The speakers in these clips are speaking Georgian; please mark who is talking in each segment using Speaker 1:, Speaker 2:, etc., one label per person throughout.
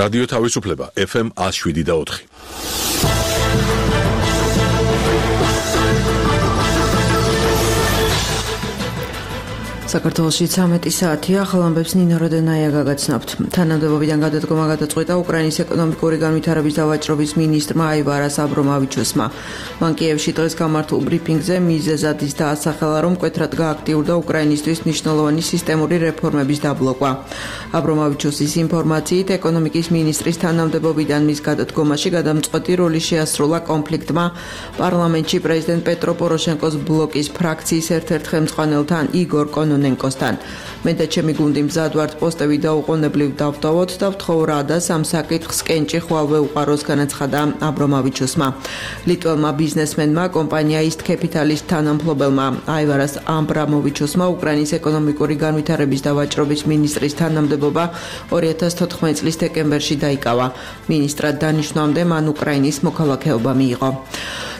Speaker 1: რადიო თავისუფლება FM 107.4.
Speaker 2: საქართველოში 13 საათია, ხალხებს ნინო როდენაია გაგაცნობთ. თანამდებობიდან გადადგომა გადაწყვეტა უკრაინის ეკონომიკური განვითარების დავაჭრობის მინისტრმა აივარას აბრომავიჩოსმა. მან კიევში დღეს გამართულ ბრიფინგზე მიზეზად ის დაასახელა, რომ მკვეთრად გააქტიურდა უკრაინისთვის მნიშვნელოვანი სისტემური რეფორმების დაბლოკვა. აბრომავიჩოსის ინფორმაციით, ეკონომიკის მინისტრის თანამდებობიდან მის გადადგომაში გადამწყვეტი როლი შეასრულა კონფლიქტმა პარლამენტში პრეზიდენტ პეტრო პოროშენკოს ბლოკის ფრაქციის ერთ-ერთ ხელმძღვანელთან იგორ კონონენკოსთან. მე და ჩემი გუნდი მზად ვართ პოსტები დაუყოვნებლივ დავტოვოთ და ვთხოვ და სამ საკითხს კენჭი ხვალვე უყაროს, განაცხადა აბრომავიჩოსმა. ლიტველმა ბიზნესმენმა, კომპანია East Capital-ის თანამფლობელმა აივარას აბრამოვიჩოსმა უკრაინის ეკონომიკური განვითარების დავაჭრობის მინისტრის თანამდებობა 2014 წლის დეკემბერში დაიკავა. მინისტრად დანიშნვამდე მან უკრაინის მოქალაქეობა მიიღო.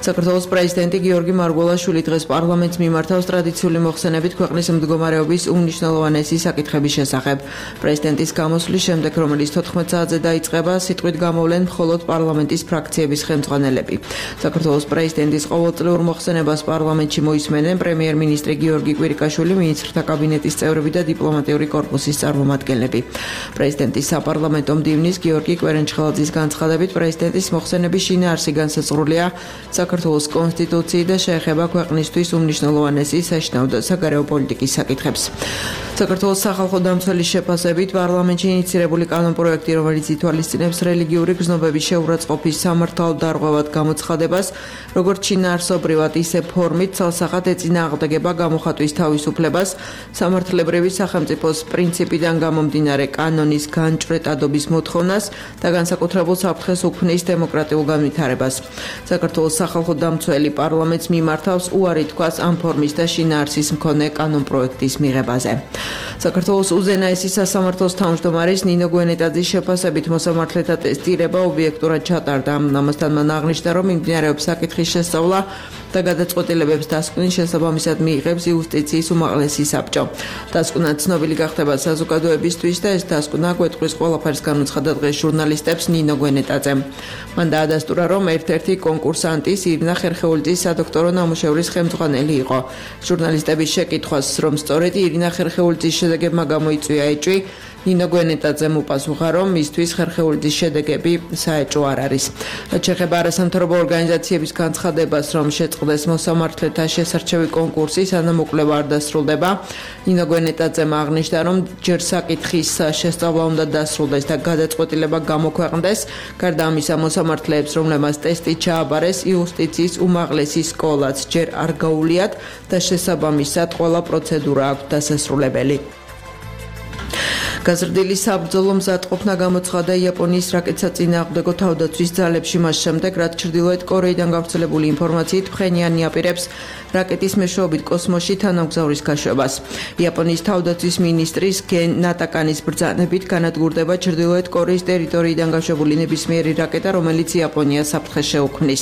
Speaker 2: საქართველოს პრეზიდენტი გიორგი მარგველაშვილი დღეს პარლამენტს მიმართავს ტრადიციული მოხსენებით ქვეყნის მდგომარეობის უმნიშვნელოვანესი საკითხების შესახებ. პრეზიდენტის გამოსვლის შემდეგ, რომელიც 14 საათზე დაიწყება, სიტყვით გამოვლენ მხოლოდ პარლამენტის ფრაქციების ხელმძღვანელები. საქართველოს პრეზიდენტის ყოველწლიურ მოხსენებას პარლამენტში მოისმენენ პრემიერ-მინისტრი გიორგი კვირიკაშვილი, მინისტრთა კაბინეტის წევრები და დიპლომატიური კორპუსის წარმომადგენლები. პრეზიდენტის საპარლამენტო მდივნის გიორგი კვერენჩხელაძის განცხადებით, პრეზიდენტის მოხსენების შინაარსი განსაზღვრულია საქართველოს კონსტიტუციით და შეეხება ქვეყნისთვის უმნიშვნელოვანესი საშინაო და საგარეო პოლიტიკის საკითხებს. საქართველოს სახალხო დამცველის შეფასებით პარლამენტში ინიცირებული კანონპროექტი, რომელიც ითვალისწინებს რელიგიური გზნობების შეურაცხყოფის სამართალდარღვევად გამოცხადებას, როგორც შინაარსობრივად, ისე ფორმით ცალსახად ეწინააღმდეგება გამოხატვის თავისუფლებას, სამართლებრივი სახელმწიფოს პრინციპიდან გამომდინარე კანონის განჭვრეტადობის მოთხოვნას და განსაკუთრებულ საფრთხეს უქმნის დემოკრატიულ განვითარებას. საქართველოს სახალხო დამცველი პარლამენტს მიმართავს უარი თქვას ამ ფორმის და შინაარსის მქონე კანონპროექტის მიღებაზე. საქართველოს უზენაესი სასამართლოს თავმჯდომარის ნინო გვენეტაძის შეფასებით მოსამართლეთა ტესტირება ობიექტურად ჩატარდა. ამასთან მან აღნიშნა, რომ მიმდინარეობს საკითხის შესწავლა და გადაწყვეტილებებს დასკვნის შესაბამისად მიიღებს იუსტიციის უმაღლესი საბჭო. დასკვნა ცნობილი გახდება საზოგადოებისთვის და ეს დასკვნა გვეტყვის ყველაფერს, განაცხადა დღეს ჟურნალისტებს ნინო გვენეტაძემ. მან დაადასტურა, რომ ერთ-ერთი კონკურსანტის ირინა ხერხეულიძის სადოქტორო ნამუშევრის ხელმძღვანელი იყო. ჟურნალისტების შეკითხვას, რომ სწორედ ირინა ხერხეულიძის შედეგებმა გამოიწვია ეჭვი, ნინო გვენეტაძემ უპასუხა, რომ მისთვის ხერხეულიძის შედეგები საეჭვო არ არის. რაც შეეხება არასამთავრობო ორგანიზაციების განცხადებას, რომ შეწყდეს მოსამართლეთა შესარჩევი კონკურსი, სანამ მოკვლევა არ დასრულდება, ნინო გვენეტაძემ აღნიშნა, რომ ჯერ საკითხის შესწავლა უნდა დასრულდეს და გადაწყვეტილება გამოქვეყნდეს. გარდა ამისა, მოსამართლეებს, რომლებმაც ტესტი ჩააბარეს, იუსტიციის უმაღლესი სკოლაც ჯერ არ გაუვლიათ და შესაბამისად ყველა პროცედურა აქვს დასასრულებელი. გაზრდილი საბრძოლო მზადყოფნა გამოცხადა იაპონიის რაკეტსაწინააღმდეგო თავდაცვის ძალებში მას შემდეგ, რაც ჩრდილოეთ კორეიდან გავრცელებული ინფორმაციით ფხენიანი აპირებს რაკეტის მეშვეობით კოსმოსში თანამგზავრის გაშვებას. იაპონიის თავდაცვის მინისტრის გენ ნატაკანის ბრძანებით განადგურდება ჩრდილოეთ კორეის ტერიტორიიდან გაშვებული ნებისმიერი რაკეტა, რომელიც იაპონიას საფრთხეს შეუქმნის.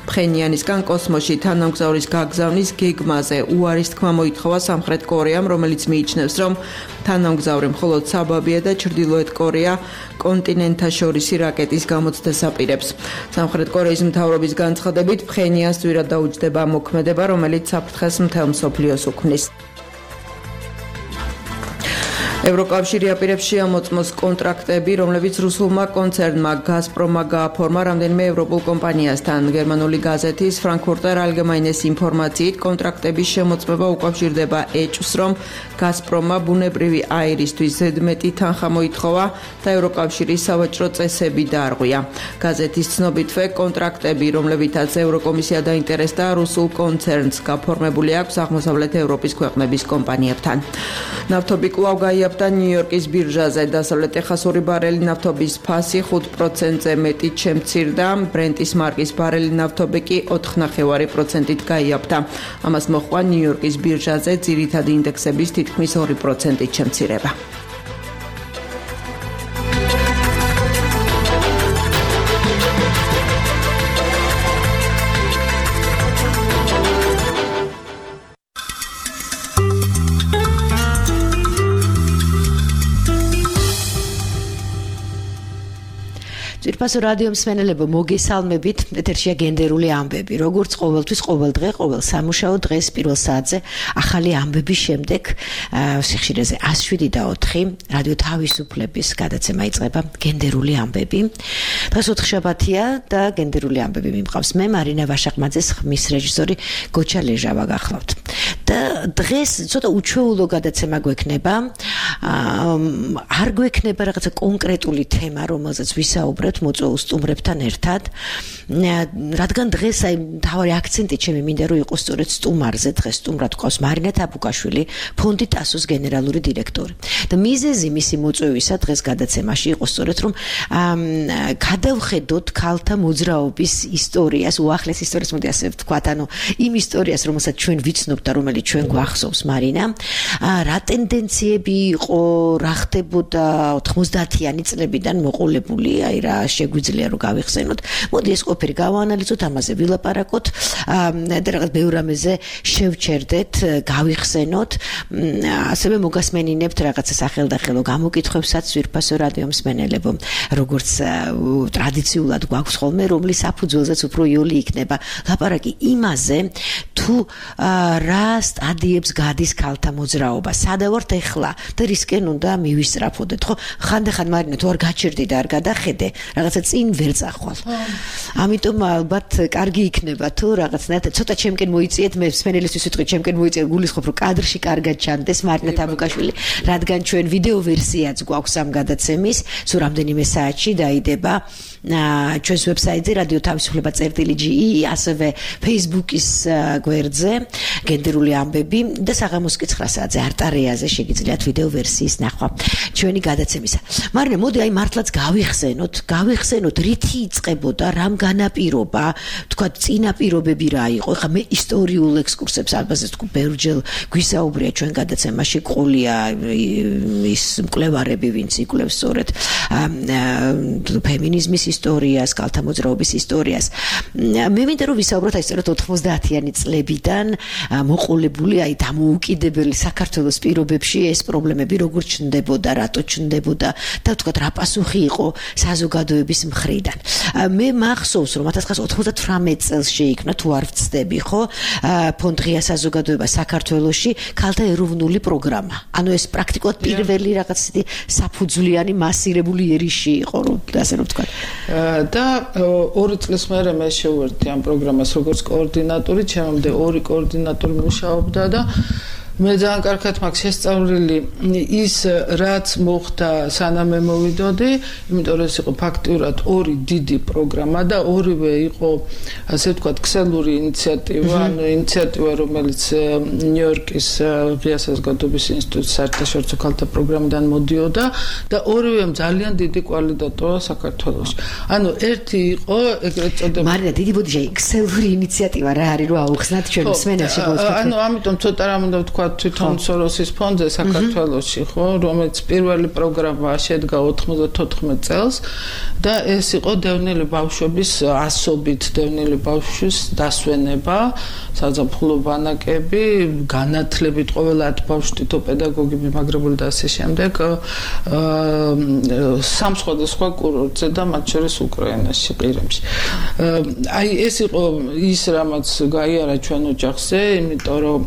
Speaker 2: ფხენიანისგან კოსმოსში თანამგზავრის გაგზავნის გეგმაზე უარის თქმა მოითხოვა სამხრეთ კორეამ, რომელიც მიიჩნევს, რომ თანამგზავრი მხოლოდ საბაბია და ჩრდილოეთ კორეა კონტინენტთაშორისი რაკეტის გამოცდას აპირებს. სამხრეთ კორეის მთავრობის განცხადებით, ფხენიანს ძვირად დაუჯდება მოქმედება, რომელიც საფრთხეს მთელ მსოფლიოს უქმნის. ევროკავშირი აპირებს შეამოწმოს კონტრაქტები, რომლებიც რუსულმა კონცერნმა გაზპრომმა გააფორმა რამდენიმე ევროპულ კომპანიასთან. გერმანული გაზეთის Frankfurter Allgemeines ინფორმაციით, კონტრაქტების შემოწმება უკავშირდება ეჭვს, რომ გაზპრომმა ბუნებრივი აირისთვის ზედმეტი თანხა მოითხოვა და ევროკავშირის სავაჭრო წესები დაარღვია. გაზეთის ცნობითვე კონტრაქტები, რომლებითაც ევროკომისია დაინტერესდა რუსულ კონცერნს, გაფორმებული აქვს აღმოსავლეთ ევროპის ქვეყნების კომპანიებთან. ნავთობი კვლავ გაიაფრა ნიუ-იორკის ბირჟაზე. დასავლეთ ტეხასური ბარელი ნავთობის ფასი 5%-ზე მეტი შემცირდა, ბრენტის მარკის ბარელი ნავთობი კი 4.5%-ით გაიაფრა. ამას მოჰყვა ნიუ-იორკის ბირჟაზე ძირითადი ინდექსების თითქმის 2%-ით შემცირება.
Speaker 3: ძვირფასო რადიო მსმენელებო, მოგესალმებით. ეთერშია გენდერული ამბები. როგორც ყოველთვის, ყოველ დღე, ყოველ სამუშაო დღეს პირველ საათზე ახალი ამბების შემდეგ სიხშირეზე 107.4 რადიო თავისუფლების გადაცემა იწყება გენდერული ამბები. დღეს ოთხშაბათია და გენდერული ამბები მიმყავს მე მარინა ვაშაყმაძე, ხმის რეჟისორი გოჩა ლეჟავა გახლავთ. და დღეს ცოტა უჩვეულო გადაცემა გვექნება. არ გვექნება რაღაცა კონკრეტული თემა, რომელზეც ვისაუბრებთ მოწვეულ სტუმრებთან ერთად. რადგან დღეს აი მთავარი აქცენტი ჩემი მინდა რომ იყოს სწორედ სტუმარზე. დღეს სტუმრად გვყავს მარინა თაბუკაშვილი, ფონდი ტასოს გენერალური დირექტორი. და მიზეზი მისი მოწვევისა დღეს გადაცემაში იყო სწორედ რომ გადავხედოთ ქალთა მოძრაობის ისტორიას, უახლეს ისტორიას, მოდი ასე ვთქვათ, ანუ იმ ისტორიას, რომელსაც ჩვენ ვიცნობთ და რომელიც ჩვენ გვახსოვს მარინა, რა ტენდენციები იყო, რა ხდებოდა 90-იანი წლებიდან მოყოლებული, აი რა შეგვიძლია რომ გავიხსენოთ. მოდი ეს ყოფილი გავაანალიზოთ, ამაზე ვილაპარაკოთ და რაღაც ბევრ რამეზე შევჩერდეთ, გავიხსენოთ. ასევე მოგასმენინებთ რაღაცა სახელდახელო გამოკითხვებსაც ძვირფასო რადიო მსმენელებო, როგორც ტრადიციულად გვაქვს ხოლმე, რომლის საფუძველზეც უფრო იოლი იქნება ლაპარაკი იმაზე, თუ რა სტადიებს გადის ქალთა მოძრაობა, სადა ვართ ეხლა და რისკენ უნდა მივისწრაფოდეთ, ხო? ხანდახან მარინა თუ არ გაჩერდი და არ გადახედე, რაღაცა წინ ვერ წახვალ. ამიტომ ალბათ კარგი იქნება თუ რაღაცნაირად ცოტა ჩემკენ მოიწიეთ, მე მსმენელისთვის ვიტყვი, ჩემკენ მოიწიეთ, გულისხმობ რომ კადრში კარგად ჩანდეს მარინა თაბუკაშვილი, რადგან ჩვენ ვიდეო ვერსიაც გვაქვს ამ გადაცემის, სულ რამდენიმე საათში დაიდება ჩვენს ვებსაიტზე რადიო თავისუფლება.ge, ასევე Facebook-ის გვერდზე გენდერული ამბები და საღამოს 9 საათზე არტარეაზე შეგიძლიათ ვიდეო ვერსიის ნახვა ჩვენი გადაცემისა. მარინა, მოდი აი მართლაც გავიხსენოთ რითი იწყებოდა, რამ განაპირობა, თქვა წინაპირობები რა იყო. ხა მე ისტორიულ ექსკურსებს ალბათ თქვა ბევრჯერ გვისაუბრია ჩვენ გადაცემაში, ყოლია ის მკვლევარები, ვინც იკვლევს სწორედ ფემინიზმის ისტორიას, ქალთა მოძრაობის ისტორიას. მე მინდა რომ ვისაუბროთ აი სწორედ 90-იანი წლებიდან მოყოლებული, აი დამოუკიდებელი საქართველოს პირობებში ეს პრობლემები როგორ ჩნდებოდა, რატო ჩნდებოდა და თქვათ რა პასუხი იყო საზოგადოების მხრიდან. მე მახსოვს რომ 1998 წელს შეიქმნა, თუ არ ვცდები, ხო, ფონდ ღია საზოგადოება საქართველოში ქალთა ეროვნული პროგრამა. ანუ ეს პრაქტიკულად პირველი რაღაც ისეთი საფუძვლიანი მასირებული ერიში იყო, რომ ასე რომ ვთქვათ.
Speaker 4: და 2 წლის მერე მე შევერთდი ამ პროგრამას როგორც კოორდინატორი, ჩემამდე 2 კოორდინატორი მუშაობდა და მე ძალიან კარგად მაქვს შესწავლილი ის, რაც მოხდა სანამ მე მოვიდოდი, იმიტომ რომ ეს იყო ფაქტიურად 2 დიდი პროგრამა და ორივე იყო, ასე ვთქვათ, ქსელური ინიციატივა, ანუ ინიციატივა, რომელიც ნიუ-იორკის ღია საზოგადოების ინსტიტუტის საერთაშორისო ქალთა პროგრამიდან მოდიოდა და ორივემ ძალიან დიდი კვალიდატოა საქართველოში. ანუ ერთი იყო ეგრეთ წოდებული
Speaker 3: მარინა, დიდი ბოდიში, ქსელური ინიციატივა რა არის რომ აუხსნათ ჩვენ მსმენელს შეგიძლიათ.
Speaker 4: ანუ ამიტომ ცოტა რამ უნდა ვთქვა თვითონ სოროსის ფონდზე საქართველოში, ხო, რომელიც პირველი პროგრამა შედგა 94 წელს და ეს იყო დევნილი ბავშვების ასობით დევნილი ბავშვის დასვენება, საზაფხულო ბანაკები, განათლებით ყოველ 10 ბავშვს თითო პედაგოგი მიმაგრებული და ასე შემდეგ, სამ სხვადასხვა კურორტზე და მათ შორის უკრაინაში, ყირიმში. აი ეს იყო ის, რამაც გაიარა ჩვენ ოჯახზე, იმიტომ რომ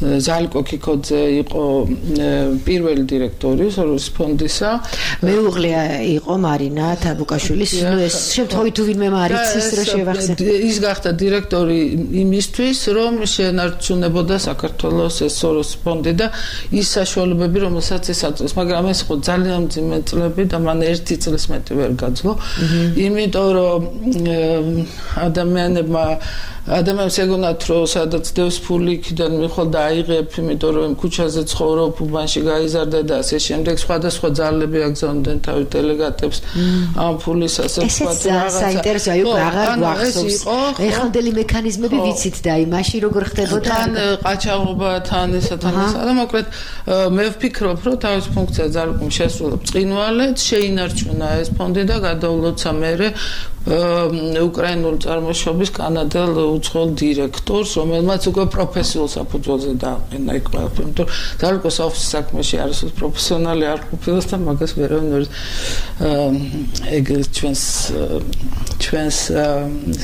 Speaker 4: ზალკო კიკოძე იყო პირველი დირექტორი სოროს ფონდისა.
Speaker 3: მეუღლე იყო მარინა თაბუკაშვილის, ეს შემთხვევით თუ ვინმე მარიცის რო შევახსენე.
Speaker 4: ის გახდა დირექტორი იმისთვის, რომ შეენარჩუნებოდა საქართველოს ეს სოროს ფონდი და ის საშუალებები, რომელსაც ეს აწევს, მაგრამ ეს იყო ძალიან მძიმე წლები და მან 1 წლის მეტი ვერ გაძლო. იმიტომ რომ ადამიანებს ეგონათ რომ სადაც დევს ფული იქიდან მიხვალ და აიღებ, იმიტომ რომ ქუჩაზე ცხოვრობ, უბანში გაიზარდა და ასე შემდეგ, სხვადასხვა ძალები აგზავნდნენ თავის დელეგატებს ამ ფულის ასე ვთქვათ
Speaker 3: რაღაცა. საინტერესო იყო, აღარ გვახსოვს. ეხანდელი მექანიზმები ვიცით და აი მაშინ როგორ ხდებოდა?
Speaker 4: თან ყაჩაღობა, თან ესა თან ესა და მოკლედ მე ვფიქრობ, რომ თავის ფუნქცია ძალკომ შესრულებს წყინვალედ, შეინარჩუნა ეს ფონდი და გადავლოცა მერე უკრაინული წარმოშობის კანადელ უცხოელ დირექტორს, რომელმაც უკვე პროფესიულ საფუძველზე დააყენა იქ ყველაფერი. იმიტომ რომ ძალკოს ოფისის საქმეში არასოდეს პროფესიონალი არ ყოფილა და მაგას ვერავინ ვერ ეგ ჩვენს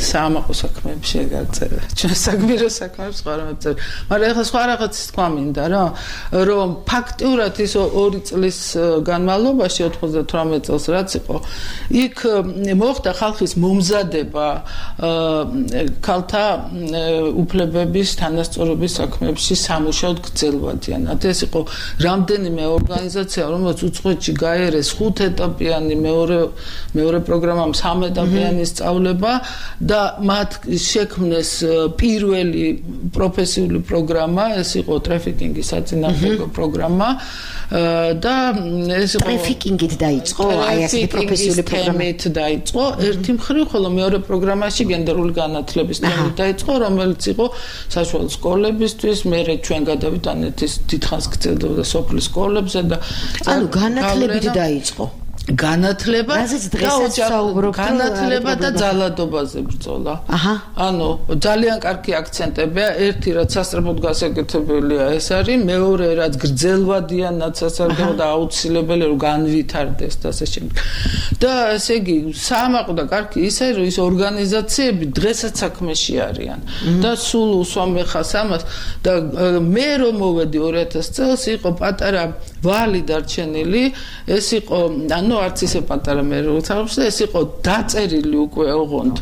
Speaker 4: საამაყო საქმეებში ეგარწერა. ჩვენს საგმირო საქმეებში სხვა რამე წერა. მაგრამ ეხლა სხვა რაღაცის თქვა მინდა რა, რომ ფაქტიურად ის 2 წლის განმავლობაში 98 წელს რაც იყო, იქ მოხდა ხალხის მომზადება ქალთა უფლებების თანასწორობის საქმეებში სამუშაოდ გრძელვადიანად. ეს იყო რამდენიმე ორგანიზაცია, რომელიც უცხოეთში გაერეს 5 ეტაპიანი მეორე პროგრამამ 3 ეტაპიანი სწავლება და მათ შექმნეს პირველი პროფესიული პროგრამა, ეს იყო ტრაფიკინგის საწინააღმდეგო პროგრამა და ეს იყო
Speaker 3: ტრაფიკინგით დაიწყო, აი ასეთი პროფესიული პროგრამით
Speaker 4: დაიწყო. ერთი მხრივ, ხოლო მეორე პროგრამაში გენდერული განათლების თემით დაიწყო, რომელიც იყო საშუალო სკოლებისთვის, მერე ჩვენ გადავიტანეთ ის დიდხანს გრძელდებოდა სოფლის სკოლებზე და
Speaker 3: ანუ განათლებით დაიწყო.
Speaker 4: განათლება
Speaker 3: განათლება
Speaker 4: და ძალადობაზე ბრძოლა. ანუ ძალიან კარგი აქცენტებია, ერთი რაც სასწრაფოდ გასაკეთებელია ეს არის, მეორე რაც გრძელვადიანად სასარგებლო და აუცილებელი რომ განვითარდეს და ასე შემდეგ. და ესე იგი საამაყო და კარგი ისე რომ ის ორგანიზაციები დღესაც საქმეში არიან და სულ უსვამე ხას ამას და მე რომ მოვედი 2000 წელს იყო პატარა ვალი დარჩენილი, ეს იყო ანუ არც ისე პატარა მე როგორც და ეს იყო დაწერილი უკვე ოღონდ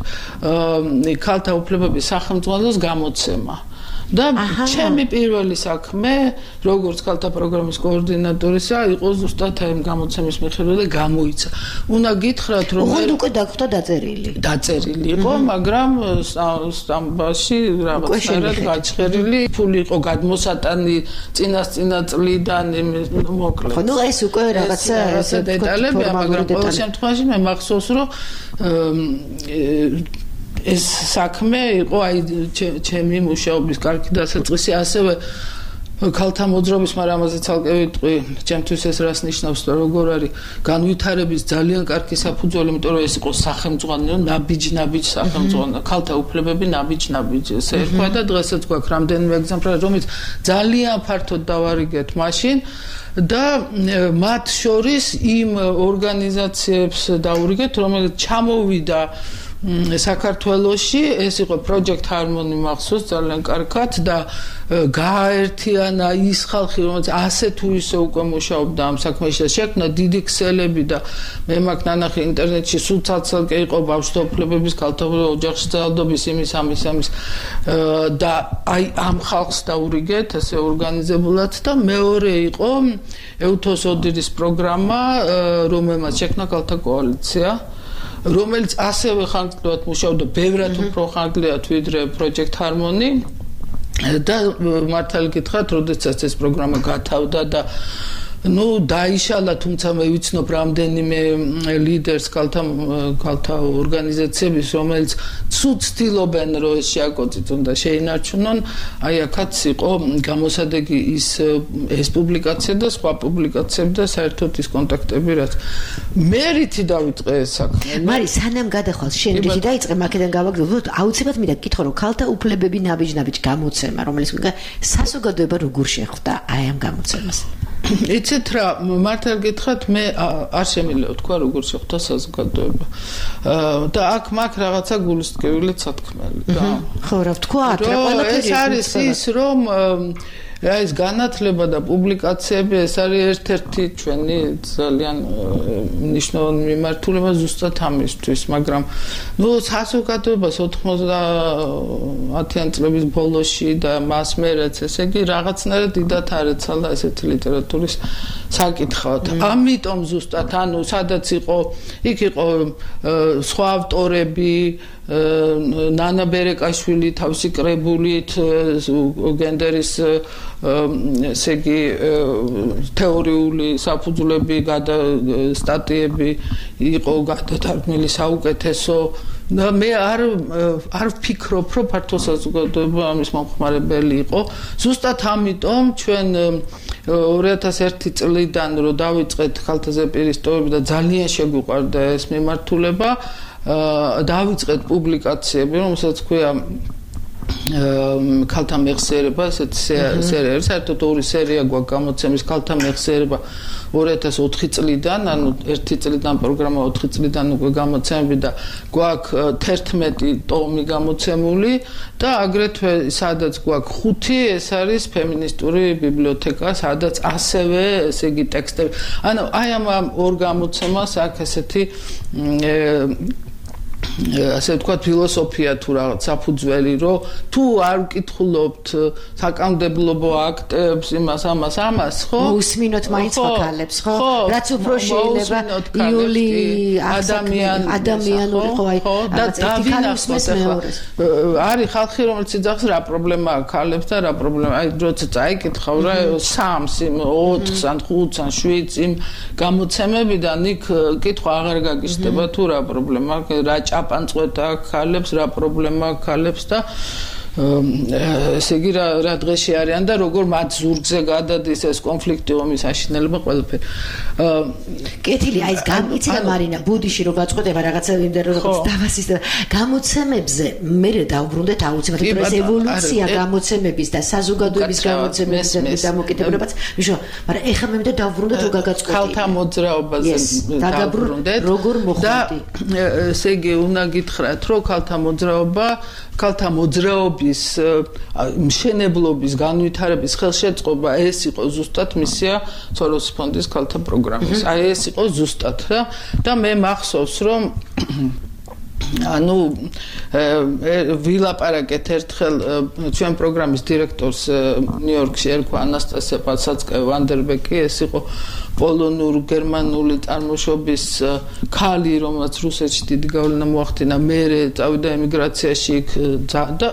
Speaker 4: ქალთა უფლებების სახელმწიფოს გამოცემა. და ჩემი პირველი საქმე, როგორც ქალთა პროგრამის კოორდინატორისა, იყო ზუსტად ამ გამოცემის მიხედვით და გამოიცა. უნდა გითხრათ, რომ
Speaker 3: ოღონდ უკვე დაგხვდა დაწერილი.
Speaker 4: დაწერილი იყო, მაგრამ სტამბაში რაღაცნაირად გაჩხერილი, ფული იყო გადმოსატანი წინასწინა წლიდან, მოკლედ.
Speaker 3: ხო, ნუ ეს უკვე რაღაცა
Speaker 4: ესე დეტალებია, მაგრამ ყოველ შემთხვევაში მე მახსოვს, რომ ეს საქმე იყო აი ჩემი მუშაობის კარგი დასაწყისი, ასევე ქალთა მოძრაობის, მაგრამ ამაზე ცალკე ვიტყვი, ჩემთვის ეს რას ნიშნავს და როგორ არის განვითარების ძალიან კარგი საფუძველი, იმიტომ რომ ეს იყო სახელმწიფო, ნაბიჯ სახელმწიფო, ქალთა უფლებები ნაბიჯ ესე ერქვა და დღესაც გვაქვს რამდენიმე ეგზემპლარი, რომელიც ძალიან ფართოდ დავარიგეთ მაშინ და მათ შორის იმ ორგანიზაციებს დავურიგეთ, რომელიც ჩამოვიდა საქართველოში, ეს იყო Project Harmony მახსოვს ძალიან კარგად და გააერთიანა ის ხალხი, რომელიც ასე თუ ისე უკვე მუშაობდა ამ საქმეში და შექმნა დიდი ქსელები და მე მაგ ნანახი ინტერნეტში სულ ცალკე იყო ბავშვთა უფლებების, ქალთა ოჯახში ძალადობის იმის და აი ამ ხალხს დაურიგეთ ესე ორგანიზებულად და მეორე იყო ეუთოს ოდირის პროგრამა, რომელმაც შექმნა ქალთა კოალიცია, რომელიც ასევე ხანგრძლივად მუშაობდა, ბევრად უფრო ხანგრძლივად ვიდრე Project Harmony და მართალი გითხრათ, როდესაც ეს პროგრამა გათავდა და დაიშალა, თუმცა მე ვიცნობ რამდენიმე ლიდერს ქალთა ორგანიზაციების, რომელიც ცუდ ცდილობენ რომ ეს შეაკოწიტონ და შეინარჩუნონ, აი აქაც იყო გამოსადეგი ეს პუბლიკაცია და სხვა პუბლიკაციები და საერთოდ ის კონტაქტები, რაც მერითი დავიწყე ეს საქმე.
Speaker 3: მარი, სანამ გადახვალ შენ რიგი დაიწყე, მაგედან გავაგრძელოთ, აუცილებლად მინდა გითხრა, რომ ქალთა უფლებები ნაბიჯ გამოცემა, რომელიც საზოგადოება როგორ შეხვდა აი ამ გამოცემას.
Speaker 4: იცით რა, მართალ გითხრათ, მე არ შემიძლია ვთქვა როგორ შეხვდა საზოგადოება. და აქ მაგ რაღაცა გულისწყევილი სათქმელი და
Speaker 3: ხო რა ვთქვათ, რა ყველაფერი
Speaker 4: ეს არის ის, რომ ეს განათლება და პუბლიკაციები ეს არის ერთ-ერთი ჩვენი ძალიან მნიშვნელოვანი მიმართულება ზუსტად ამისთვის, მაგრამ საზოგადოებას 90-იან წლების ბოლოში და მას მერეც ესე იგი რაღაცნაირად დიდად არ ეცალა ესეთი ლიტერატურის საკითხავთ. ამიტომ ზუსტად სადაც იყო, იქ იყო სხვა ავტორები, ნანა ბერეკაშვილი თავისი კრებულით გენდერის ესე იგი თეორიული საფუძვლები სტატიები იყო გადათარგმნილი საუკეთესო და მე არ ვფიქრობ, რომ ფართო საზოგადოება ამის მომხმარებელი იყო. ზუსტად ამიტომ ჩვენ 2001 წლიდან რომ დავიწყეთ ქალთა ზეპირის ტოვები და ძალიან შეგვიყვარდა ეს მიმართულება, დავიწყეთ პუბლიკაციები, რომელსაც ქვია ქალთა მეხსიერება, ესეთი სერია, საერთოდ ორი სერია გვაქვს გამოცემის ქალთა მეხსიერება 2004 წლიდან, ანუ 1 წლიდან პროგრამა 4 წლიდან უკვე გამოცემები და გვაქვს 11 ტომი გამოცემული და აგრეთვე სადაც გვაქვს 5 ეს არის ფემინისტური ბიბლიოთეკა, სადაც ასევე ესე იგი ტექსტები. ანუ აი ამ ორ გამოცემას აქვს ესეთი ასე ვთქვათ ფილოსოფია თუ რაღაც საფუძველი რომ თუ არ ვკითხულობთ საკანონმდებლო აქტებს ამას ხო
Speaker 3: უსმინოთ მაინც ხალხებს ხო რაც უფრო შეიძლება იული ადამიანური ხო აი
Speaker 4: და დავინახოთ არის ხალხი რომელიც ძახს რა პრობლემა აქვს ხალხებს და რა პრობლემა აი როცა წაიკითხავ რა 3-ს 4-ს ან 5-ს ან 7-ს იმ გამოცემებიდან იქ კითხვა აღარ გაგიჟდება თუ რა პრობლემა აქვს რა ჭაპანწყვეტა ხალხებს რა პრობლემა აქვს ხალხებს და ესე იგი რა დღეში არიან და როგორ მათ ზურგზე გადადის ეს კონფლიქტი ომის აშინელება ყველაფერი.
Speaker 3: კეთილი აი ეს გამიცდა მარინა ბუდიში რო გაწყვეტება რაღაცა იმდა რომ დავასის და გამოცემებზე მე დავბრუნდეთ აუცილებლად ეს ევოლუცია გამოცემების და საზოგადოების გამოცემების დამოკიდებულებაც ვიშო მაგრამ ეხლა მე დავბრუნდეთ რო გაგაწყვეტი
Speaker 4: ქალთა მოძრაობაზე
Speaker 3: დავბრუნდეთ როგორ მოხვდი
Speaker 4: ესე იგი უნდა გითხრათ რომ ქალთა მოძრაობის მშენებლობის განვითარების ხელშეწყობა ეს იყო ზუსტად მისია სოროსის ფონდის ქალთა პროგრამის. აი ეს იყო ზუსტად და მე მახსოვს რომ ანუ ვილაპარაკეთ ერთხელ ჩვენ პროგრამის დირექტორს ნიუ-იორკში ერქვა ანასტასია პაცაცკაია ვანდერბეკი ეს იყო პოლონურ გერმანული წარმოშობის ქალი რომელიც რუსეთში დიდი გავლენა მოახდინა მერე წავიდა ემიგრაციაში და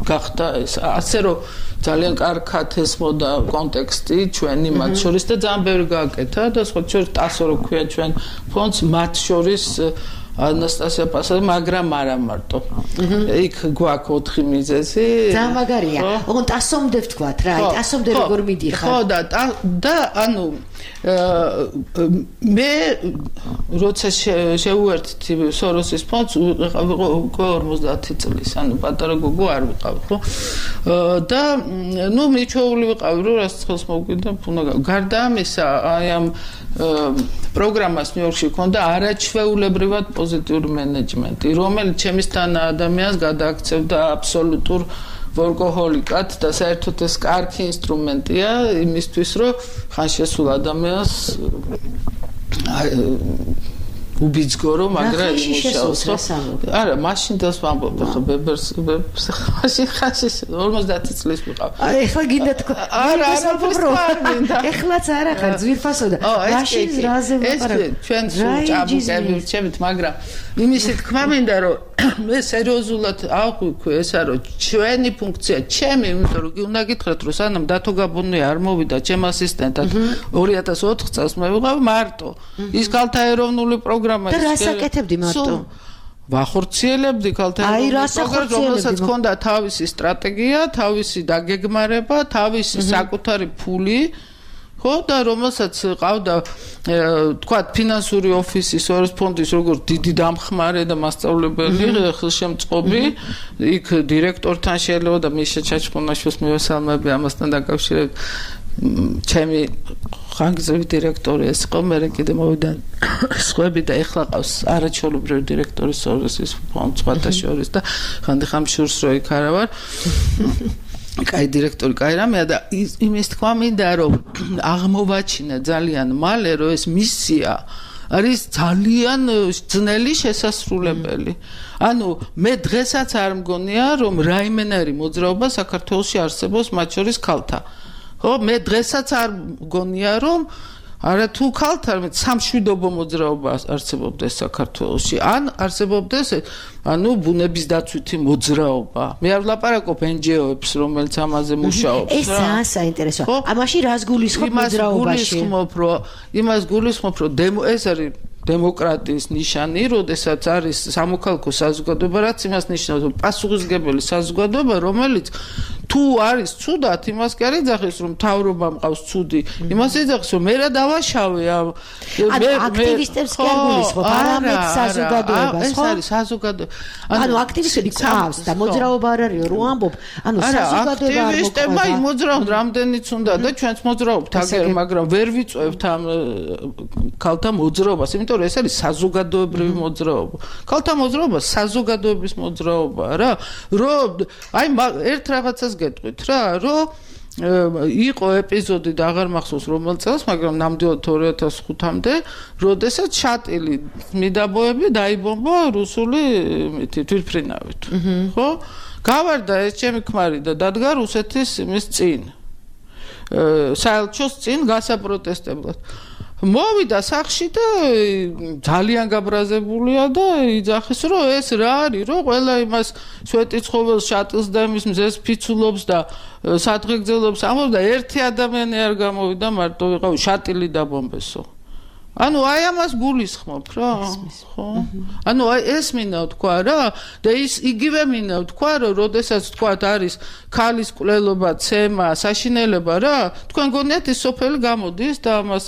Speaker 4: გახდა ეს ასე რომ ძალიან კარგად ესმოდა კონტექსტი ჩვენი მათ შორის და ძალიან ბევრი გააკეთა და სხვა შორის ტასო რო ქვია ჩვენ ფონდს მათ შორის ანასტასია პასადა მაგრამ არა მარტო იქ გვაქვს 4 მიზეზი
Speaker 3: ძალიან მაგარია ოღონდ ტასომდე ვთქვათ რა აი ტასომდე როგორ მიდიხარ
Speaker 4: ხო და ანუ მე როცა შევუერთდი სოროსის ფონდს ვიყავ 50 წლის ანუ პატარა გოგო არ ვიყავ ხო და ნუ მიჩვეული ვიყავ რომ რას ხელს მოვკვიდა უნდა გარდა ამისა აი ამ პროგრამას ნიუ-იორკში ქონდა არაჩვეულებრივად პოზიტიური მენეჯმენტი რომელიც ჩემისთან ადამიანს გადააქცევდა აბსოლუტურ ვორკოჰოლიკად და საერთოდ ეს კარგი ინსტრუმენტია იმისთვის რომ ხან შესულ ადამიანს უბიძგორო მაგრამ იმუშაოს არა მაშინ დას ვამბობ ხო ბებერს მაშინ ხაში 50 წლის ვიყავ
Speaker 3: ეხლა გინდა თქო
Speaker 4: არა მინდა
Speaker 3: ეხლაც არა ხარ ძვირფასო და მაშინ რაზე ვაპარაკე
Speaker 4: ჩვენ ჭაბუკები ვრჩებით მაგრამ იმისი თქმა მინდა რომ მე სერიოზულად აღვიქვი ესა რომ ჩვენი ფუნქცია ჩემი იმიტომ რომ უნდა გითხრათ რომ სანამ დათო გაბუნია არ მოვიდა ჩემ ასისტენტად 2004 წელს მე ვიყავ მარტო ის ქალთა ეროვნული პროგრამა
Speaker 3: და რას აკეთებდი მარტო
Speaker 4: ვახორციელებდი ქალთა პროგრამას რომელსაც ჰქონდა თავისი სტრატეგია თავისი დაგეგმარება თავისი საკუთარი ფული ხო და რომელსაც ყავდა თქვათ ფინანსური ოფისი სოროს ფონდის როგორც დიდი დამხმარე და მასწავლებელი ხელშემწყობი იქ დირექტორთან შეიძლება და მიშა ჩაჩხონაშვილს მივესალმები ამასთან დაკავშირებით ჩემი ხანგრძლივი დირექტორი ეს იყო მე კიდე მოვიდა სხვები და ეხლა ყავს არაჩვეულებრივი დირექტორი სოროსის ფონდს სხვათა შორის და ხანდახან შურს რო იქ არა ვარ კაი დირექტორი კაი რამეა და იმის თქვა მინდა რომ აღმოვაჩინა ძალიან მალე რომ ეს მისია არის ძალიან ძნელი შესასრულებელი. ანუ მე დღესაც არ მგონია რომ რაიმენერი მოძრაობა საქართველოში არსებობს მათ შორის ქალთა. ხო მე დღესაც არ მგონია რომ არა თუ ქალთა არამედ სამშვიდობო მოძრაობა არსებობდეს საქართველოში ან არსებობდეს ანუ ბუნების დაცვითი მოძრაობა მე არ ვლაპარაკობ NGO-ებს რომელიც ამაზე მუშაობს
Speaker 3: ეს ძალიან საინტერესოა ამაში რას გულისხმობ მოძრაობაში
Speaker 4: იმას გულისხმობ რომ ეს არის დემოკრატიის ნიშანი, როდესაც არის სამოქალაქო საზოგადოება, რაც იმას ნიშნავს, რომ პასუხისმგებელი საზოგადოება, რომელიც თუ არის ცუდად, იმას კი არ იძახის, რომ მთავრობა მყავს ცუდი. იმას იძახის, რომ მე რა დავაშავე ამ
Speaker 3: აქტივისტებს კი არ გულისხმობ, არამედ საზოგადოებას, ხო?
Speaker 4: ეს არის საზოგადოება.
Speaker 3: ანუ აქტივისტები ყავს და მოძრაობა არ არისო, რო ამბობ, ანუ საზოგადოება არ
Speaker 4: აქტივისტებმა იმოძრაობთ რამდენიც უნდა და ჩვენც მოძრაობთ აგერ, მაგრამ ვერ ვიწევთ ამ ქალთა მოძრაობას, იმიტომ რომ ეს არის საზოგადოებრივი მოძრაობა. ქალთა მოძრაობა საზოგადოების მოძრაობა რა. რომ აი ერთ რაღაცას გეტყვით რა, რომ იყო ეპიზოდი და აღარ მახსოვს რომელ წელს, მაგრამ ნამდვილად 2005-მდე, როდესაც შატილი მიდაბოები დაიბომბა რუსული თვითმფრინავით. ხო? გავარდა ეს ჩემი ქმარი და დადგა რუსეთის იმის წინ. საელჩოს წინ გასაპროტესტებლად. მოვიდა სახში და ძალიან გაბრაზებულია და იძახის, რომ ეს რა არის, რომ ყველა იმას სვეტიცხოველს, შატილს და იმის მზეს ფიცულობს და სადღეგრძელობს ამბობს და ერთი ადამიანი არ გამოვიდა, მარტო ვიყავ შატილი დაბომბესო. ანუ აი ამას გულისხმობ რა, ხო? ანუ აი ეს მინდა ვთქვა რა და ის იგივე მინდა ვთქვა, რომ როდესაც თქვა არის ქალის კვლელობა, ცემა, საშინელება რა, თქვენ გონიათ ის სოფელი გამოდის და ამას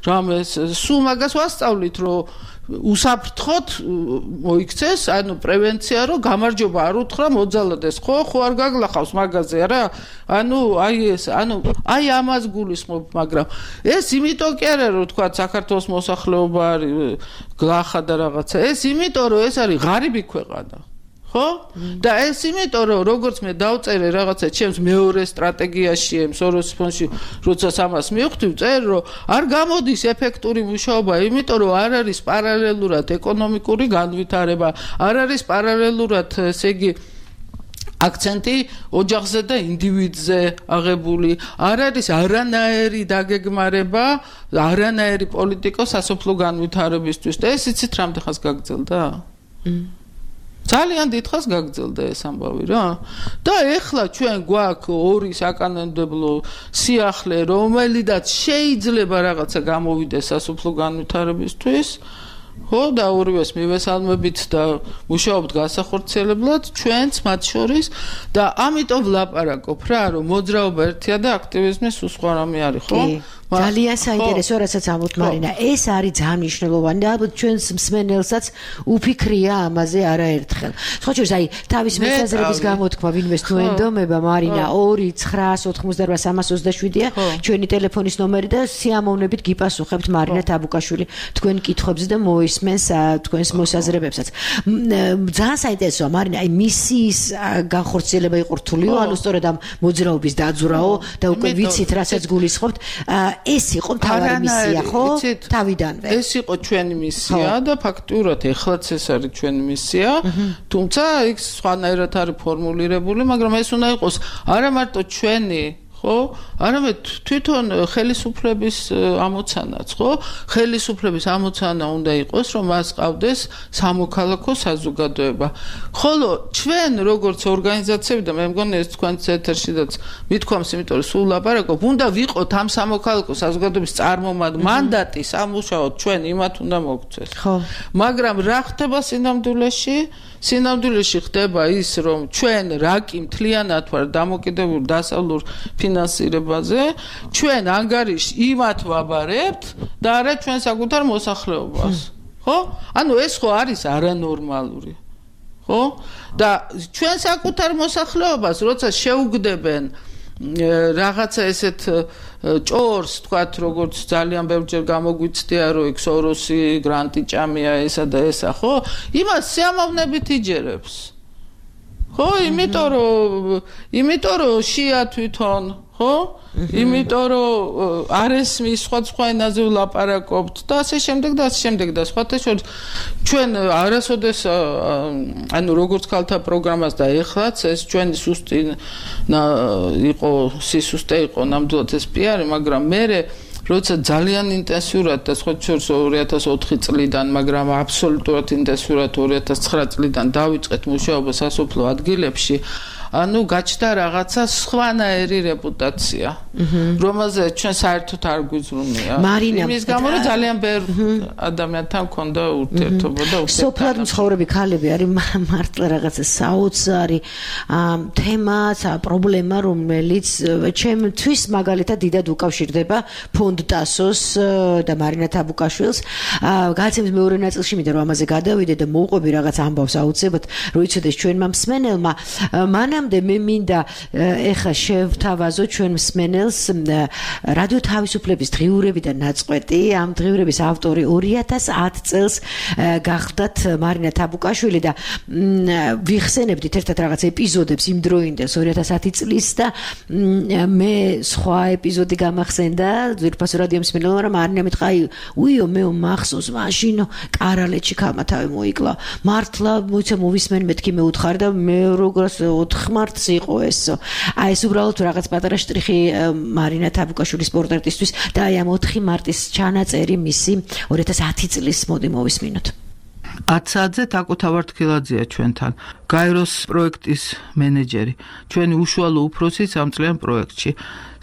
Speaker 4: რამეს სულ მაგას ვასწავლით, რომ უსაფრთხოდ მოიქცეს, ანუ პრევენცია, რომ გამარჯობა არ უთხრა მოძალადეს, ხო არ გაგლახავს მაგაზე რა. ანუ აი ეს, ანუ აი ამას გულისხმობ, მაგრამ ეს იმიტომ კი არა, რომ თქვა საქართველოს მოსახლეობა არის გლახა და რაღაცა. ეს იმიტომ, რომ ეს არის ღარიბი ქვეყანა. ხო? და ეს იმიტომ, რომ როგორც მე დავწერე რაღაცა ჩემს მეორე სტრატეგიაში, სოროსის ფონდში, როცა ამას მივხვდი, ვწერე, რომ არ გამოდის ეფექტური მუშაობა, იმიტომ რომ არ არის პარალელურად ეკონომიკური განვითარება, არ არის პარალელურად, ესე იგი, აქცენტი ოჯახზე და ინდივიდზე აღებული, არ არის არანაირი დაგეგმარება, არანაირი პოლიტიკა სასოფლო განვითარებისთვის და ეს იცით რამდენ ხანს გაგრძელდა? ძალიან დიდ ხანს გაგრძელდა ეს ამბავი რა. და ეხლა ჩვენ გვაქვს ორი საკანონმდებლო სიახლე, რომელიდაც შეიძლება რაღაცა გამოვიდეს სასოფლო განვითარებისთვის. ხო და ორივეს მივესალმებით და მუშაობთ განსახორციელებლად ჩვენც მათ შორის და ამიტომ ვლაპარაკობ რა, რომ მოძრაობა ერთია და აქტივიზმი სულ სხვა რამე არის, ხო?
Speaker 3: ძალიან საინტერესო, რასაც ამბობთ მარინა. ეს არის ძალიან მნიშვნელოვანი და ალბათ ჩვენს მსმენელსაც უფიქრია ამაზე არაერთხელ. სხვა შორის აი თავის მოსაზრების გამოთქმა ვინმეს თუ ენდომება მარინა 2988327-ია ჩვენი ტელეფონის ნომერი და სიამოვნებით გიპასუხებთ მარინა თაბუკაშვილი თქვენ კითხვებზე და მოისმენს თქვენს მოსაზრებებსაც. ძალიან საინტერესოა მარინა, აი მისიის განხორციელება იყო რთულიო, ანუ სწორედ ამ მოძრაობის დაძვრაო და უკვე ვიცით რასაც გულისხმობთ. ეს იყო მთავარი მისია, ხო? თავიდანვე.
Speaker 4: ეს იყო ჩვენი მისია და ფაქტურად ეხლაც ეს არის ჩვენი მისია, თუმცა იქ სხვანაირად არის ფორმულირებული, მაგრამ ეს უნდა იყოს არა მარტო ჩვენი, ხო? არამედ თვითონ ხელისუფლების ამოცანაც, ხო? ხელისუფლების ამოცანა უნდა იყოს, რომ მას ყავდეს სამოქალაქო საზოგადოება. ხოლო ჩვენ როგორც ორგანიზაციები და მე მგონი ეს თქვენს ეთერშიდაც მithქვამს, იმიტომ რომ სულ ლაპარაკობ, უნდა ვიყოთ ამ სამოქალაქო საზოგადოების წარმომადგენლ მანდატი სამუშაოდ ჩვენ იმათ უნდა მოგცეს.
Speaker 3: ხო.
Speaker 4: მაგრამ რა ხდება სინამდვილეში? სინამდვილეში ხდება ის, რომ ჩვენ რაკი მთლიანად ვარ დამოკიდებული დასავლურ ფინანსირებაზე, ჩვენ ანგარიშს იმათ ვაბარებთ და არა ჩვენ საკუთარ მოსახლეობას. ხო? ანუ ეს ხო არის არანორმალური. ხო? და ჩვენ საკუთარ მოსახლეობას როცა შეუგდებენ რაღაცა ესეთ ჭორს, თქვათ, როგორც ძალიან ბევრჯერ გამოგვიცდია, რომ იქ სოროსი გრანტი ჭამია ესა და ესა, ხო? იმას სიამოვნებით იჯერებს. ხო, იმიტომ რომ შია თვითონ, ხო? იმიტომ რომ არ ესმის სხვა ენაზე ვლაპარაკობთ და ასე შემდეგ და ასე შემდეგ და სხვათა შორის ჩვენ არასოდეს ანუ როგორც ქალთა პროგრამას და ეხლაც ეს ჩვენი სუსტი იყო სისუსტე იყო ნამდვილად ეს პიარი, მაგრამ მე როცა ძალიან ინტენსიურად და სხვა შორის 2004 წლიდან, მაგრამ აბსოლუტურად ინტენსიურად 2009 წლიდან დავიწყეთ მუშაობა სასოფლო ადგილებში, ანუ გაჩნდა რაღაცა სხვანაირი რეპუტაცია. რომელზეც ჩვენ საერთოდ არ გვიზრუნია. იმის გამო რომ ძალიან ბევრ ადამიანთან მქონდა ურთიერთობა და
Speaker 3: სოფლად მცხოვრები ქალები არის მართლა რაღაცა საოცარი თემა, პრობლემა, რომელიც ჩემთვის მაგალითად დიდად უკავშირდება ფონდ ტასოს და მარინა თაბუკაშვილს. გაცემის მეორე ნაწილში მინდა რომ ამაზე გადავიდე და მოვყვები რაღაც ამბავს აუცილებლად, რომ იცოდეს ჩვენმა მსმენელმა. მანამდე მე მინდა ეხა შევთავაზო ჩვენ მსმენელს რადიო თავისუფლების დღიურებიდან ნაწყვეტი. ამ დღიურების ავტორი 2010 წელს გახდათ მარინა თაბუკაშვილი და ვიხსენებდით ერთად რაღაც ეპიზოდებს იმ დროინდელს 2010 წლის და მე სხვა ეპიზოდი გამახსენდა ძვირფასო რადიო მსმენელმა, რომ მარინა მითხრა უიო მე მახსოვს მაშინ კარალეთში ქალმათავი მოიკლა. მართლა მოიცა მოვისმენ მეთქი მე უთხარ და მე როგორც 4 მარტს იყო ეს. აი ეს უბრალოდ რაღაც პატარა შტრიხი მარინა თაბუკაშვილის პორტრეტისთვის და აი ამ 4 მარტის ჩანაწერი მისი 2010 წლის მოდი მოვისმინოთ.
Speaker 4: 10 საათზე თაკო თავართქილაძეა ჩვენთან. გაეროს პროექტის მენეჯერი. ჩვენი უშუალო უფროსი სამწლიან პროექტში.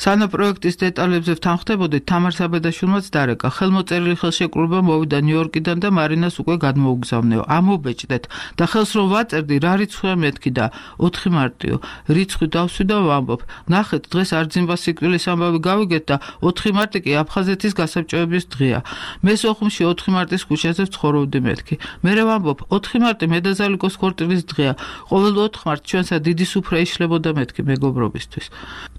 Speaker 4: სანა პროექტის დეტალებზე ვთანხმდებოდით, თამარ საბედაშვილმაც დარეკა. ხელმოწერილი ხელშეკრულება მოვიდა ნიუ-იორკიდან და მარინას უკვე გადმოუგზავნეო. ამობეჭდეთ და ხელს რომ ვაწერდი, რა რიცხვია მეთქი და 4 მარტიო. რიცხვი დავსვი და ვამბობ. ნახეთ, დღეს არძიმბა სიკვდილის ამბავი გავიგეთ და 4 მარტი კი აფხაზეთის გასაბჭოების დღეა. მე სოხუმში 4 მარტის ქუჩაზე ვცხოვრობდი მეთქი. მერე ვამბობ, 4 მარტი მედაზალიკოს ქორწილის დღეა. ყოველ 4 მარტს ჩვენსა დიდი სუფრა იშლებოდა მეთქი მეგობრობისთვის.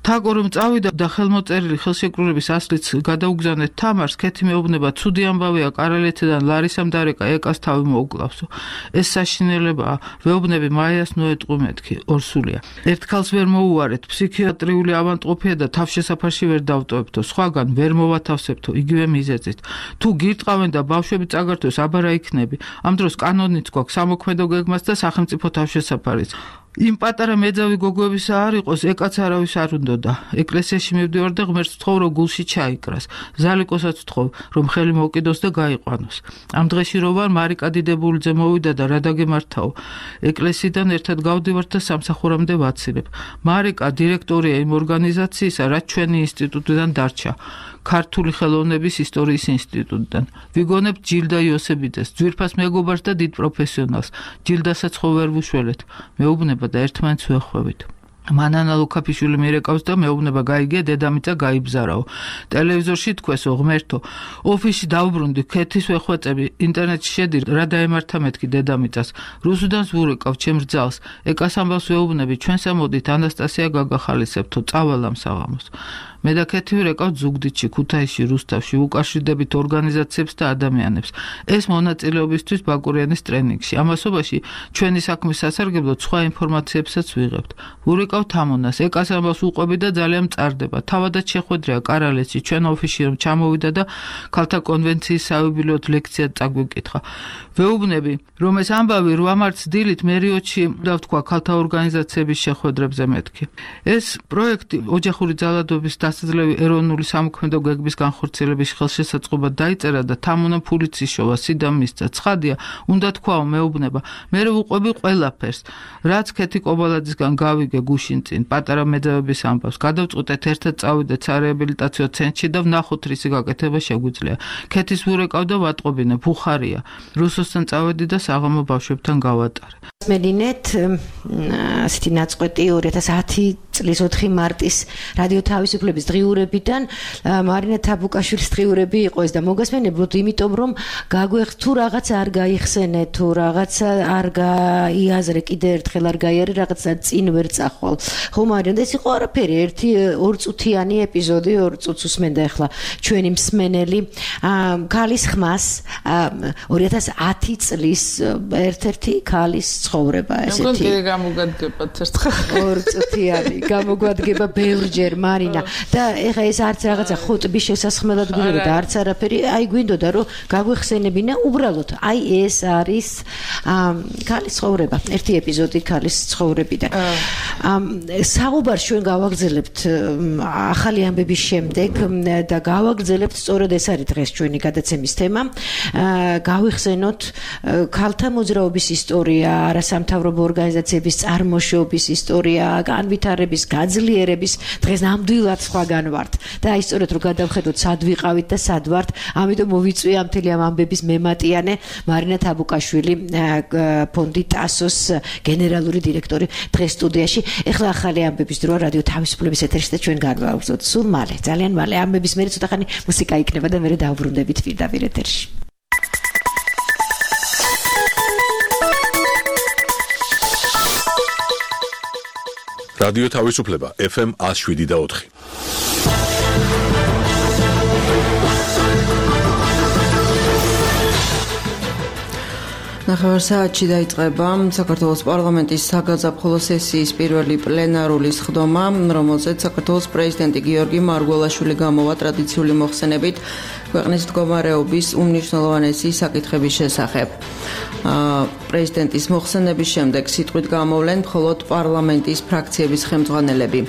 Speaker 4: თაკო რომ წავიდა და ხელმოწერილი ხელშეკრულების ასლიც გადაუგზავნეთ თამარს, ქეთი მეუბნება ცუდი ამბავია კარალეთიდან ლარისამ დარეკა ეკას თავი მოუკლავსო. ეს საშინელებაა, ვეუბნები მაიას ნოეტყუ მეთქი, ორსულია. ერთ ქალს ვერ მოუარეთ, ფსიქიატრიული ავადმყოფია და თავშესაფარში ვერ დავტოვებთო, სხვაგან ვერ მოვათავსებთო, იგივე მიზეზით. თუ გირტყავენ და ბავშვები წაგართვეს, აბარა იქნები. ამ დროს კანონიც გვაქვს სამოქმედო გეგმას და სახელმწიფო თავშესაფარიც. იმ პატარა მეძავი გოგოებისა არ იყოს, ეკაც არავის არ უნდოდა. ეკლესიაში მივდივარ და ღმერთს ვთხოვ, რომ გულში ჩაიკრას. ზალიკოსაც ვთხოვ, რომ ხელი მოვკიდოს და გაიყვანოს. ამ დღეში რო ვარ, მარიკა დიდებულიძე მოვიდა და რა დაგემართაო. ეკლესიიდან ერთად გავდივართ და სამსახურამდე ვაცილებ. მარიკა დირექტორია იმ ორგანიზაციისა, რაც ჩვენი ინსტიტუტიდან დარჩა. ქართული ხელოვნების ისტორიის ინსტიტუტიდან. ვიგონებთ ჯილდა იოსებიძეს, ძვირფას მეგობარს და დიდ პროფესიონალს. ჯილდასაც ხო ვერ ვუშველეთ. მეუბნება და ერთმანეთს ვეხვევით. მანანა ლუკაფიშვილი მირეკავს და მეუბნება გაიგე დედამიწა გაიბზარაო. ტელევიზორში თქვესო ღმერთო, ოფისში დავბრუნდი, ქეთის ვეხვეწები, ინტერნეტში შედი, რა დაემართა მეთქი დედამიწას. რუსუდანს ვურეკავ ჩემს ძალს. ეკას ამბავს ვეუბნები, ჩვენს ამოდით ანასტასია გაგახალისებთო, წავალ საღამოს. მე და ქეთი ვირეკავ ზუგდიდში, ქუთაისში, რუსთავში, უკავშირდებით ორგანიზაციებს და ადამიანებს. ეს მონაწილეობისთვის ბაკურიანის ტრენინგში. ამასობაში ჩვენი საქმის სასარგებლოდ სხვა ინფორმაციებსაც ვიღებთ. ვურეკავ თამონას, ეკას ამბავს უყვები და ძალიან მწარდება. თავადაც შეხვედრია კარალეთში, ჩვენ ოფისში რომ ჩამოვიდა და ქალთა კონვენციის საიუბილეოდ ლექცია წაგვიკითხა. ვეუბნები, რომ ეს ამბავი 8 მარტს დილით მერიოტში დავთქვა ქალთა ორგანიზაციების შეხვედრებზე მეთქი. ეს პროექტი ოჯახური ძალადობის დასაძლევი ეროვნული სამოქმედო გეგმის განხორციელების ხელშესაწყობად დაიწერა და თამონამ ფულიც იშოვა, სიდამ მისცა. ცხადია, უნდა თქვაო მეუბნება, მე ვუყვები ყველაფერს, რაც ქეთი კობალაძისგან გავიგე გუშინ წინ, პატარა მეძავების ამბავს. გადავწყვიტეთ ერთად წავიდეთ სარეაბილიტაციო ცენტრში და ვნახოთ რისი გაკეთება შეგვიძლია. ქეთის ვურეკავ და ვატყობინე, ბუხარია. რუსოსთან წავედი და საღამო ბავშვებთან გავატარე.
Speaker 3: მედინეთ ასეთი ნაწყვეტი 2010 წლის 4 მარტის რადიო თავისუფლების დღიურებიდან მარინა თაბუკაშვილის დღიურები იყო ეს და მოგესმენებოდ, იმიტომ რომ გაგვეხს თუ რაღაც არ გაიხსენეთ, თუ რაღაც არ გაიაზრე, კიდე ერთხელ არ გაიარე, რაღაცა წინ ვერ წახვალ. ხო, მარინა, ეს იყო არაფერი, 1-2 წუთიანი ეპიზოდი, 2 წუთს უსმენდა ახლა ჩვენი მსმენელი ქალის ხმას 2010 წლის ერთ-ერთი ქალის ცხოვრება ესეთი.
Speaker 4: როგორ გამოგადგებათ ერთხელ
Speaker 3: 2 წუთიანი გამოგვადგება ბევრჯერ მარინა და ეხა ეს არც რაღაცა ხუტბის შესასხმელად გვინდოდა და არც არაფერი, აი გვინდოდა რომ გაგვეხსენებინა უბრალოდ აი ეს არის ქალის ცხოვრება, ერთი ეპიზოდი ქალის ცხოვრებიდან. საუბარს ჩვენ გავაგრძელებთ ახალი ამბების შემდეგ და გავაგრძელებთ სწორედ ეს არის დღეს ჩვენი გადაცემის თემა. გავიხსენოთ ქალთა მოძრაობის ისტორია, არასამთავრობო ორგანიზაციების წარმოშობის ისტორია, განვითარების განვითარების, გაძლიერების დღეს ნამდვილად სხვაგან ვართ. და აი სწორედ რომ გადავხედოთ სად ვიყავით და სად ვართ, ამიტომ მოვიწვია მთელი ამ ამბების მემატიანე მარინა თაბუკაშვილი, ფონდი ტასოს გენერალური დირექტორი დღეს სტუდიაში. ეხლა ახალი ამბების დროა რადიო თავისუფლების ეთერში და ჩვენ განვავრცელოთ სულ მალე, ძალიან მალე ამბების მერე ცოტახანი მუსიკა იქნება და მერე დავბრუნდებით პირდაპირ ეთერში.
Speaker 1: რადიო თავისუფლება FM 107.4.
Speaker 2: ნახევარ საათში დაიწყება საქართველოს პარლამენტის საგაზაფხულო სესიის პირველი პლენარული სხდომა, რომელზეც საქართველოს პრეზიდენტი გიორგი მარგველაშვილი გამოვა ტრადიციული მოხსენებით ქვეყნის მდგომარეობის უმნიშვნელოვანესი საკითხების შესახებ. პრეზიდენტის მოხსენების შემდეგ სიტყვით გამოვლენ მხოლოდ პარლამენტის ფრაქციების ხელმძღვანელები.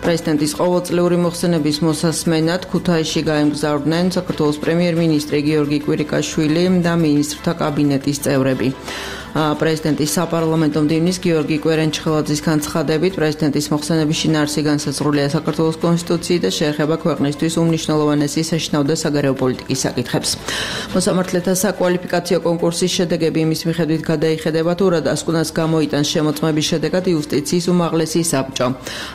Speaker 2: პრეზიდენტის ყოველწლიური მოხსენების მოსასმენად ქუთაისში გაემგზავრდნენ საქართველოს პრემიერ-მინისტრი გიორგი კვირიკაშვილი და მინისტრთა კაბინეტის წევრები. პრეზიდენტის საპარლამენტო მდივნის გიორგი კვერენჩხელაძის განცხადებით, პრეზიდენტის მოხსენების შინაარსი განსაზღვრულია საქართველოს კონსტიტუციით და შეეხება ქვეყნისთვის უმნიშვნელოვანესი საშინაო და საგარეო პოლიტიკის საკითხებს. მოსამართლეთა საკვალიფიკაციო კონკურსის შედეგები იმის მიხედვით გადაიხედება, თუ რა დასკვნას გამოიტანს შემოწმების შედეგად იუსტიციის უმაღლესი საბჭო.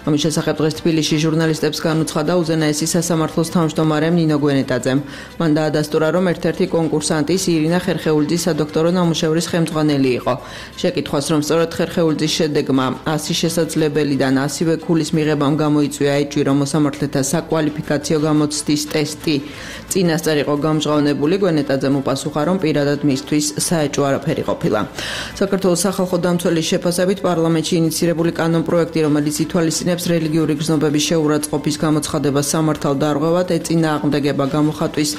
Speaker 2: ამის შესახებ დღეს თბილისში ჟურნალისტებს განუცხადა უზენაესი სასამართლოს თავმჯდომარე ნინო გვენეტაძემ. მან დაადასტურა, რომ ერთ-ერთი კონკურსანტის ირინა ხერხეულიძის სადოქტორო ნამუშევრის ხელმძღვანელი იყო. შეკითხვას, რომ სწორედ ხერხეულიძის შედეგმა 100 შესაძლებელიდან 100-ვე ქულის მიღებამ გამოიწვია ეჭვი, რომ მოსამართლეთა საკვალიფიკაციო გამოცდის ტესტი წინასწარ იყო გამჟღავნებული, გვენეტაძემ უპასუხა, რომ პირადად მისთვის საეჭვო არაფერი ყოფილა. საქართველოს სახალხო დამცველის შეფასებით პარლამენტში ინიცირებული კანონპროექტი, რომელიც ითვალისწინებს რელიგიური გრძნობების შეურაცხყოფის გამოცხადებას სამართალ დარღვევად, ეწინააღმდეგება გამოხატვის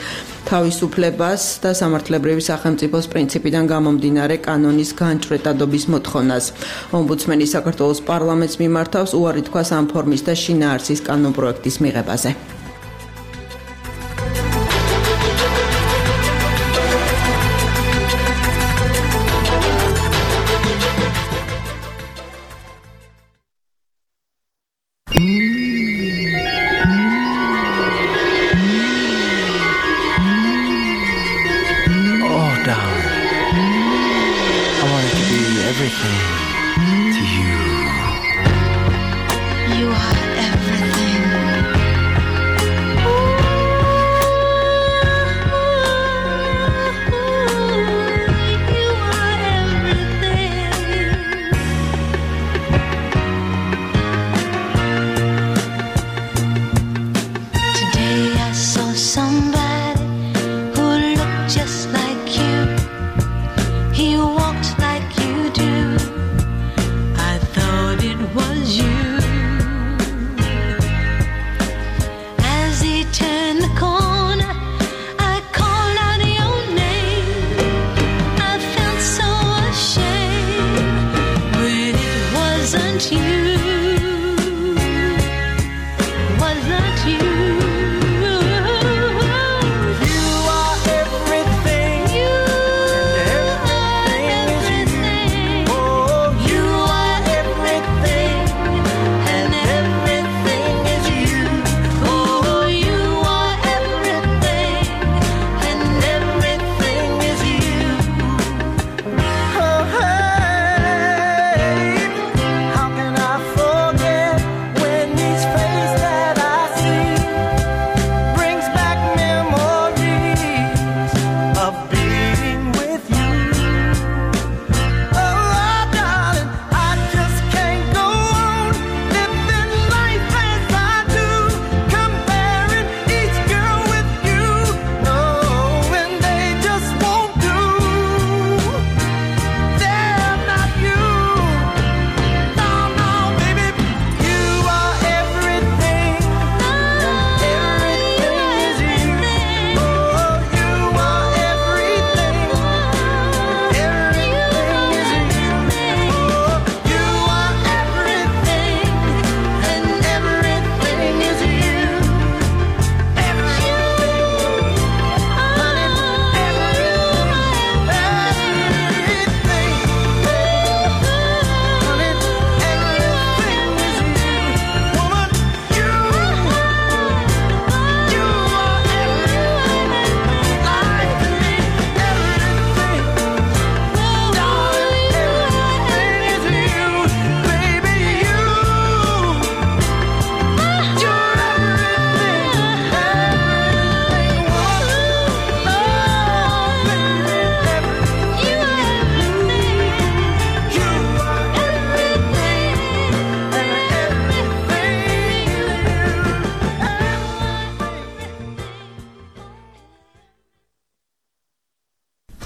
Speaker 2: თავისუფლებას და სამართლებრივი სახელმწიფოს პრინციპიდან გამომდინარე კანონის განჭვრეტადობის მოთხოვნას. ომბუდსმენი საქართველოს პარლამენტს მიმართავს უარი თქვას ამ ფორმის და შინაარსის კანონპროექტის მიღებაზე.
Speaker 5: He walked like you do.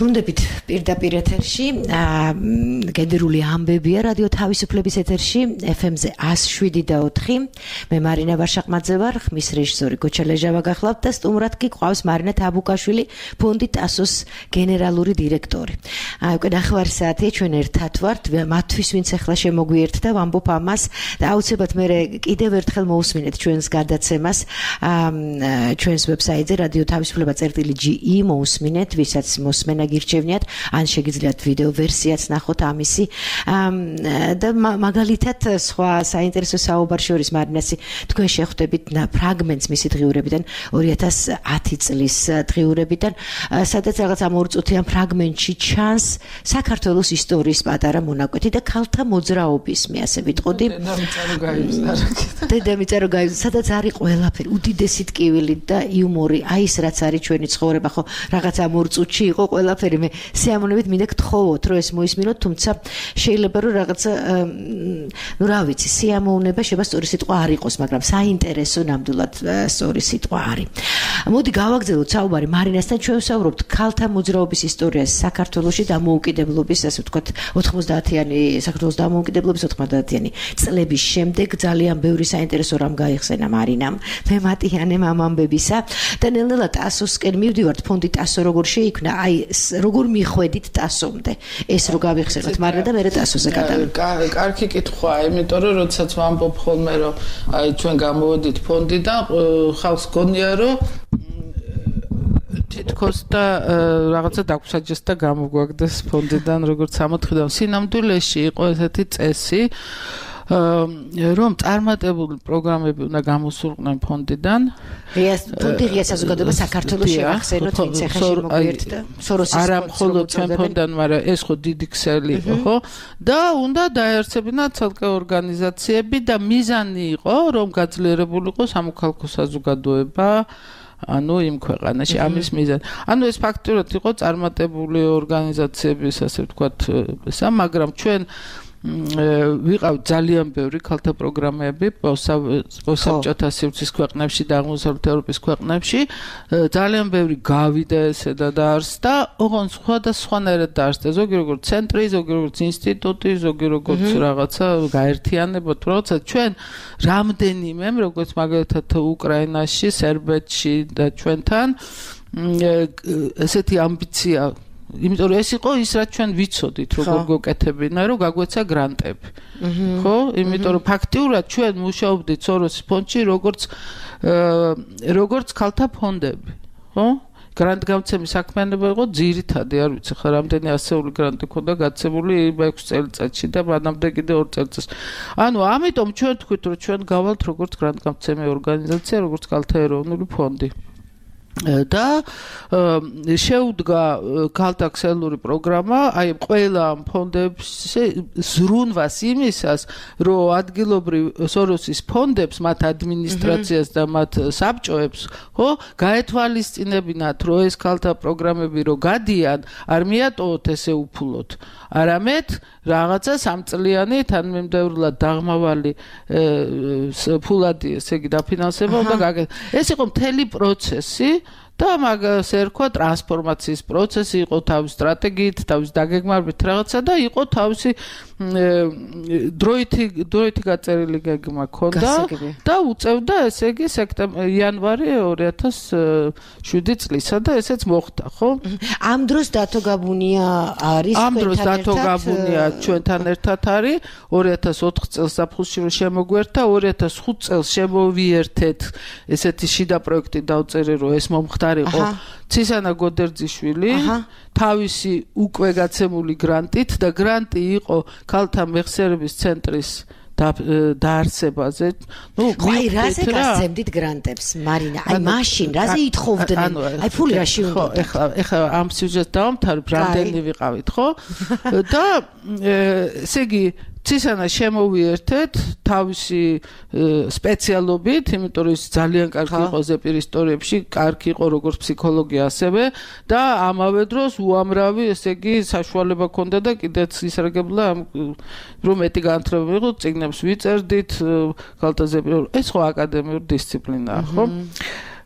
Speaker 3: ბრუნდებით პირდაპირ ეთერში გენერალური ამბებია რადიო თავისუფლების ეთერში FM-ზე 107.4 მე მარინა ვარშაყმაძე ვარ ხმის რეჟისორი გოჩა ლეჟავა გახლავთ და სტუმრად კი ყავს მარინა თაბუკაშვილი ფონდი ტასოს გენერალური დირექტორი უკვე ნახევარი საათია ჩვენ ერთად ვართ მათთვის ვინც ახლა შემოგვიერთდა ვამბობ ამას და აუცილებლად მე კიდევ ერთხელ მოусმინეთ ჩვენს გადაცემას ჩვენს ვებსაიტზე რადიო თავისუფლება.ge მოусმინეთ ვისაც მოსმენა გირჩევნიათ ან შეგიძლიათ ვიდეო ვერსიაც ნახოთ ამისი და მაგალითად სხვა საინტერესო საუბარ შორის მარინასი თქვენ შეხვდებით ფრაგმენტს მისი დღიურებიდან 2010 წლის დღიურებიდან სადაც რაღაც ამ 2 წუთიან ფრაგმენტში ჩანს საქართველოს ისტორიის პატარა მონაკვეთი და ქალთა მოძრაობის მე ასე ვიტყოდი დედამიწა რო გაიგზავნა სადაც არის ყველაფერი უდიდესი ტკივილი და იუმორი აი ეს რაც არის ჩვენი ცხოვრება ხო რაღაც ამ 2 წუთში იყო ყველაფერი მე სიამოვნებით მინდა გთხოვოთ რომ ეს მოისმინოთ თუმცა შეიძლება რომ რაღაცა ნუ რა ვიცი სიამოვნება შეიძლება სწორი სიტყვა არ იყოს მაგრამ საინტერესო ნამდვილად სწორი სიტყვა არის მოდი გავაგრძელოთ საუბარი მარინასთან ჩვენ ვსაუბრობთ ქალთა მოძრაობის ისტორიას საქართველოში დამოუკიდებლობის ასე ვთქვათ 90-იანი საქართველოს დამოუკიდებლობის 90-იანი წლების შემდეგ ძალიან ბევრი საინტერესო რამ გაიხსენა მარინამ თემატიანემ ამ ამბებისა და ნელ-ნელა ტასოსკენ მივდივართ ფონდი ტასო როგორ შეიქმნა აი როგორ მიხვედით ტასომდე ეს რო გავიხსენოთ მარინა და მე ტასოზე გადავიდეთ
Speaker 4: კარგი კითხვაა იმიტომ რომ როდესაც ვამბობ ხოლმე რომ აი ჩვენ გამოვედით ფონდიდან ხალხს გონია რომ თითქოს და რაღაცა დაგვსაჯეს და გამოგვაგდეს ფონდიდან როგორც ამოთხიდან სინამდვილეში იყო ესეთი წესი რომ წარმატებული პროგრამები უნდა გამოსულყვნენ ფონდიდან
Speaker 3: ფონდი ღია საზოგადოება საქართველოს შევახსენოთ ვინც ახლა შემოგვიერთდა სოროსის
Speaker 4: არა მხოლოდ ჩვენ ფონდიდან მაგრამ ეს ხო დიდი ქსელი იყო ხო და უნდა დაერწებინა ცალკე ორგანიზაციები და მიზანი იყო რომ გაძლიერებული იყო სამოქალაქო საზოგადოება ანუ იმ ქვეყანაში ამის მიზანი. ანუ ეს ფაქტურად იყო წარმატებული ორგანიზაციების ასე ვთქვათ ესა, მაგრამ ჩვენ ვიყავთ ძალიან ბევრი ქალთა პროგრამები საბჭოთა სივრცის ქვეყნებში და აღმოსავლეთ ევროპის ქვეყნებში ძალიან ბევრი გავიდა ესე და დაარსდა ოღონდ სხვადასხვანაირად დაარსდა ზოგი როგორც ცენტრი ზოგი როგორც ინსტიტუტი ზოგი როგორც რაღაცა გაერთიანება როცა ჩვენ რამდენიმემ როგორც მაგალითად უკრაინაში სერბეთში და ჩვენთან ესეთი ამბიცია იმიტომ რომ ეს იყო ის რაც ჩვენ ვიცოდით როგორ გოკეთებინა რომ გაგვეცა გრანტები ხო იმიტომ რომ ფაქტიურად ჩვენ მუშაობდით სოროსის ფონდში როგორც ქალთა ფონდები ხო გრანტგამცემის საქმიანობა იყო ძირითადი არ ვიცი ხა რამდენი ასეული გრანტი ქონდა გაცემული 6 წელიწადში და მანამდე კიდე 2 წელიწადს ანუ ამიტომ ჩვენ თქვით რომ ჩვენ გავალთ როგორც გრანტგამცემი ორგანიზაცია როგორც ქალთა ეროვნული ფონდი და შეუდგა ქალთა ქსელური პროგრამა აი ყველა ფონდებს ზრუნვას იმისას რომ ადგილობრივ სოროსის ფონდებს მათ ადმინისტრაციას და მათ საბჭოებს ხო გაეთვალისწინებინათ რომ ეს ქალთა პროგრამები რო გადიან არ მიატოვოთ ესე უფულოდ არამედ რაღაცა სამწლიანი თანმიმდევრულად დაღმავალი ფულადი ესე იგი დაფინანსება უნდა გაკეთდეს ეს იყო მთელი პროცესი და მაგას ერქვა ტრანსფორმაციის პროცესი იყო თავის სტრატეგიით, თავის დაგეგმარებით რაღაცა და იყო თავისი დროითი გაწერილი გეგმა ქონდა და უწევდა ესე იგი იანვარი 2007 წლისა და ესეც მოხდა, ხო?
Speaker 3: ამ დროს დათო გაბუნია არის
Speaker 4: ამ დროს დათო გაბუნია ჩვენთან ერთად არის 2004 წელს საფხულში შემოგვერთა 2005 წელს შემოვიერთეთ ესეთი შიდა პროექტი დავწერე რომ ეს მომხდარიყო ცისანა გოდერძიშვილი თავისი უკვე გაცემული გრანტით და გრანტი იყო ქალთა მეხსიერების ცენტრის დაარსებაზე.
Speaker 3: ნუ აი რაზე გასცემდით გრანტებს მარინა? აი მაშინ რაზე ითხოვდნენ? აი ფული რაში უნდა?
Speaker 4: ეხლა ამ სიუჟეტს დავამთავრებ, რამდენი ვიყავით, ხო? და ესე იგი ცისანა შემოვიერთეთ თავისი სპეციალობით, იმიტომ რომ ის ძალიან კარგი იყო ზეპირ ისტორიებში, კარგი იყო როგორც ფსიქოლოგია ასევე და ამავე დროს უამრავი, ესე იგი, საშუალება ჰქონდა და კიდეც ისარგებლა რომ მეტი განათლება იყო, წიგნებს ვიწერდით, ქალთა ზეპირ, ეს ხო აკადემიური დისციპლინაა, ხო?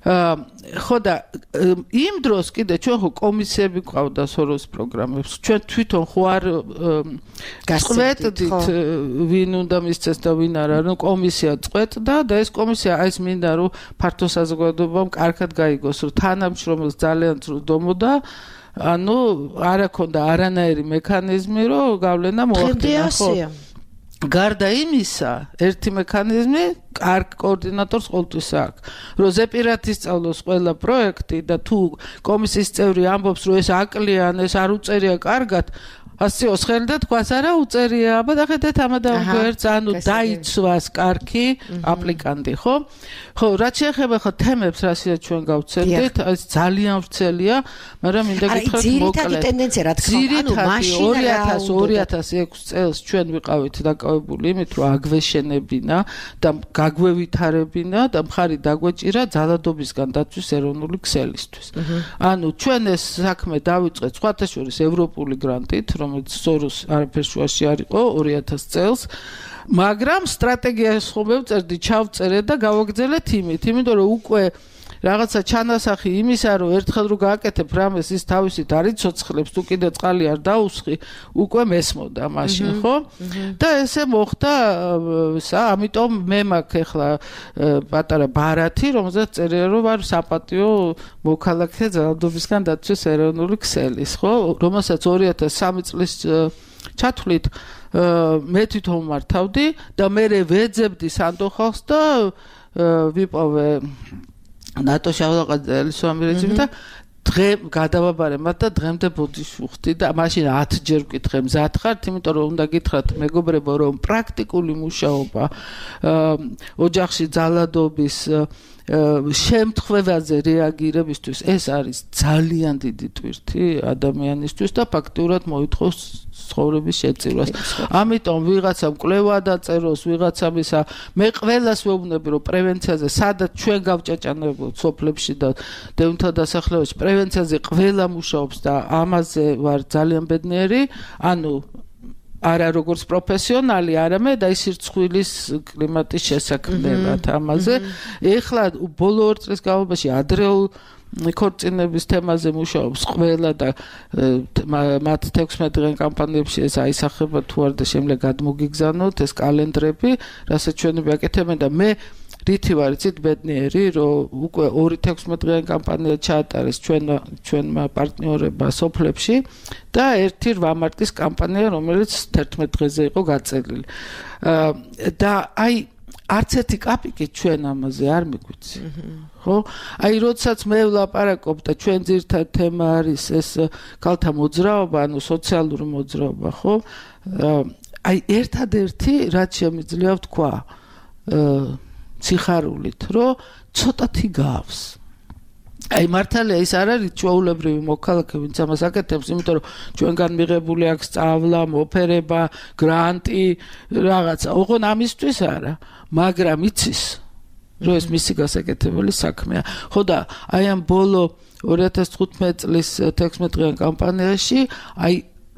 Speaker 4: ხო და იმ დროს კიდე ჩვენ ხო კომისიები ყავდა სოროს პროგრამებს ჩვენ თვითონ ხო არ წვეთდით ვინ უნდა მისცეს და ვინ არა რომ კომისია წვეთდა და ეს კომისია ეს მინდა რომ ფართო საზოგადოებამ კარგად გაიგოს რომ თანამშრომელს ძალიან ძრუდომოდა ანუ არ აქონდა არანაირი მექანიზმი რომ გავლენა მოახდინა ხო გარდა იმისა ერთი მექანიზმი კარგ კოორდინატორს ყოველთვის აქვს რომ ზეპირად ისწავლოს ყველა პროექტი და თუ კომისიის წევრი ამბობს რომ ეს აკლიან ეს არ უწერია კარგად ასეოს ხელი და თქვას არა უწერია აბა დახედეთ ამადამ გვერდს ანუ დაიცვას კარგი აპლიკანტი ხო რაც შეეხება ხო თემებს რასაც ჩვენ გავცერდით ეს ძალიან ვრცელია მაგრამ მინდა გითხრათ მოკლედ
Speaker 3: ძირითადი ტენდენცია რა თქმა უნდა ანუ
Speaker 4: 2006 წელს ჩვენ ვიყავით დაკავებული იმით რომ აგვეშენებინა და გაგვევითარებინა და მხარი დაგვეჭირა ძალადობისგან დაცვის ეროვნული ქსელისთვის ანუ ჩვენ ეს საქმე დავიწყეთ სხვათა შორის ევროპული გრანტით რომელიც სოროს არაფერს შუაში არ იყო 2000 წელს მაგრამ სტრატეგიას ხომ ვწერდი ჩავწერე და გავაგრძელეთ იმიტომ რომ უკვე რაღაცა ჩანასახი იმისა რომ ერთხელ რო გააკეთებ რამეს ის თავისით არ იცოცხლებს თუ კიდე წყალი არ დაუსხი უკვე მესმოდა მაშინ ხო და ესე მოხდა ამიტომ მე მაქვს ახლა პატარა ბარათი რომელზეც წერია რომ ვარ საპატიო მოქალაქე ძალადობისგან დაცვის ეროვნული ქსელის ხო რომელსაც 2003 წლის ჩათვლით მე თვითონ მართავდი და მე ვეძებდი სანდოხალს და ვიპოვე ნატო შავლაყაძელის ამერეცი და დღე გადავაბარე მათ და დღემდე ბოდიშ ვუხდი და მაშინ 10 ჯერ ვკითხე მზად ხართ იმიტომ რომ უნდა გითხრათ მეგობრებო რომ პრაქტიკული მუშაობა ოჯახში ძალადობის შემთხვევაზე რეაგირებისთვის ეს არის ძალიან დიდი ტვირთი ადამიანისთვის და ფაქტიურად მოითხოვს ცხოვრების შეწირვას. ამიტომ ვიღაცამ კვლევა დაწეროს, ვიღაცამ ისა მე ყველას ვეუბნები რომ პრევენციაზე სადაც ჩვენ გავჭაჭანებულთ სოფლებში და დევნთა დასახლებაში პრევენციაზე ყველა მუშაობს და ამაზე ვარ ძალიან ბედნიერი, ანუ არა როგორც პროფესიონალი, არამედ აი სირცხვილის კლიმატის შესაქმნელად ამაზე. ეხლა ბოლო 2 წლის განმავლობაში ადრეულ ქორწინების თემაზე მუშაობს ყველა და მათ 16 დღიან კამპანიებში ეს აისახება თუ არ და შემდგომ გადმოგიგზავნოთ ეს კალენდრები, რასაც ჩვენ ვაკეთებენ და მე რითი ვარ იცით ბედნიერი, რომ უკვე 2-16 დღიანი კამპანია ჩაატარეს ჩვენმა პარტნიორებმა სოფლებში და 1 მარტის კამპანია, რომელიც 11 დღეზე იყო გაწელილი. და აი არც ერთი კაპიკი ჩვენ ამაზე არ მიგვიცი. ხო? აი როდესაც მე ვლაპარაკობ და ჩვენ ძირითად თემა არის ეს ქალთა მოძრაობა, ანუ სოციალური მოძრაობა, ხო? აი ერთადერთი რაც შემიძლია ვთქვა სიხარულით, რომ ცოტათი გავს. აი მართალია ის არ არის ჩვეულებრივი მოქალაქე, ვინც ამას აკეთებს, იმიტომ რომ ჩვენგან მიღებული აქვს სწავლა, მოფერება, გრანტი, რაღაცა. ოღონ ამისთვის არა, მაგრამ იცის, რომ ეს მისი გასაკეთებელი საქმეა. ხო და აი ამ ბოლო 2015 წლის 16 დღიან კამპანიაში აი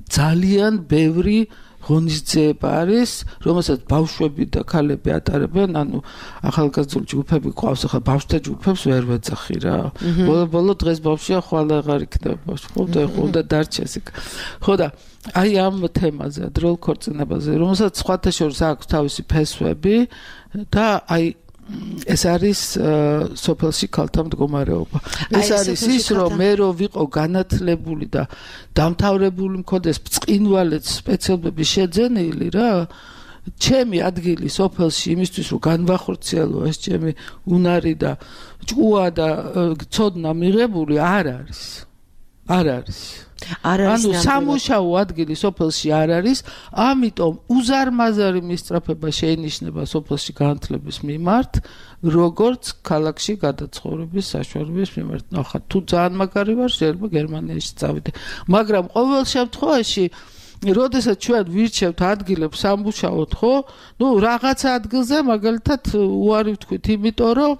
Speaker 4: ძალიან ბევრი ღონისძიება არის, რომელსაც ბავშვები და ქალები ატარებენ, ანუ ახალგაზრდული ჯგუფები ყავს, ახლა ბავშვთა ჯგუფებს ვერ ვეძახი რა. ბოლო დღეს ბავშვია ხვალ აღარ იქნება, ხო და უნდა დარჩეს იქ. ხო და აი ამ თემაზე, დროულ ქორწინებაზე, რომელსაც სხვათა შორის აქვს თავისი ფესვები და აი ეს არის სოფელში ქალთა მდგომარეობა. ეს არის ის, რომ მე რო ვიყო განათლებული და დამთავრებული მქონდეს ბრწყინვალე სპეციალობები შეძენილი რა, ჩემი ადგილი სოფელში იმისთვის რომ განვახორციელო ეს ჩემი უნარი და ჭკუა და ცოდნა მიღებული არ არის. არ არის. ანუ სამუშაო ადგილი სოფელში არ არის, ამიტომ უზარმაზარი მისწრაფება შეინიშნება სოფელში განათლების მიმართ, როგორც ქალაქში გადაცხოვრების საშუალების მიმართ. ახლა თუ ძალიან მაგარი ვარ, შეიძლება გერმანიაში წავიდე. მაგრამ ყოველ შემთხვევაში როდესაც ჩვენ ვირჩევთ ადგილებს სამუშაოდ, ხო? ნუ რაღაც ადგილზე მაგალითად უარი ვთქვით, იმიტომ რომ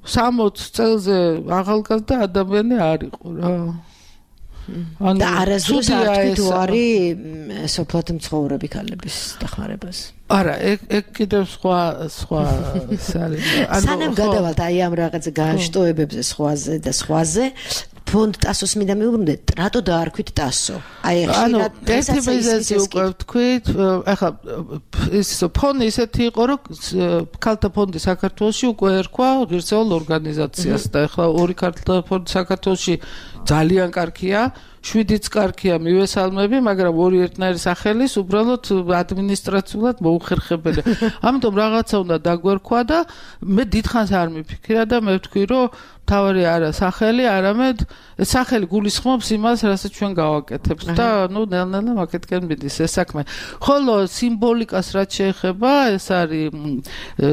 Speaker 4: 60 წელზე ახალგაზრდა ადამიანი არ იყო რა.
Speaker 3: და არასდროს არ თქვით უარი სოფლად მცხოვრები ქალების დახმარებას.
Speaker 4: არა, ეგ კიდევ სხვა
Speaker 3: სანამ გადავალთ აი ამ რაღაცა განშტოებებზე სხვაზე და სხვაზე ფონდ ტასოს მინდა მიუბრუნდეთ, რატო დაარქვით ტასო? აი ხშირად
Speaker 4: ერთი მიზეზი უკვე ვთქვით, ახლა ის ფონდი ისეთი იყო, რომ ქალთა ფონდი საქართველოში უკვე ერქვა ღირსეულ ორგანიზაციას და ახლა ორი ქალთა ფონდი საქართველოში ძალიან კარგია, 7-იც კარგია მივესალმები, მაგრამ ორი ერთნაირი სახელის უბრალოდ ადმინისტრაციულად მოუხერხებელია. ამიტომ რაღაცა უნდა დაგვერქვა და მე დიდხანს არ მიფიქრია და მე ვთქვი, რომ თავარი არა სახელი, არამედ სახელი გულისხმობს იმას, რასაც ჩვენ გავაკეთებთ და ნელ-ნელა მაგეთკენ მიდის ეს საქმე. ხოლო სიმბოლიკას რაც შეეხება, ეს არის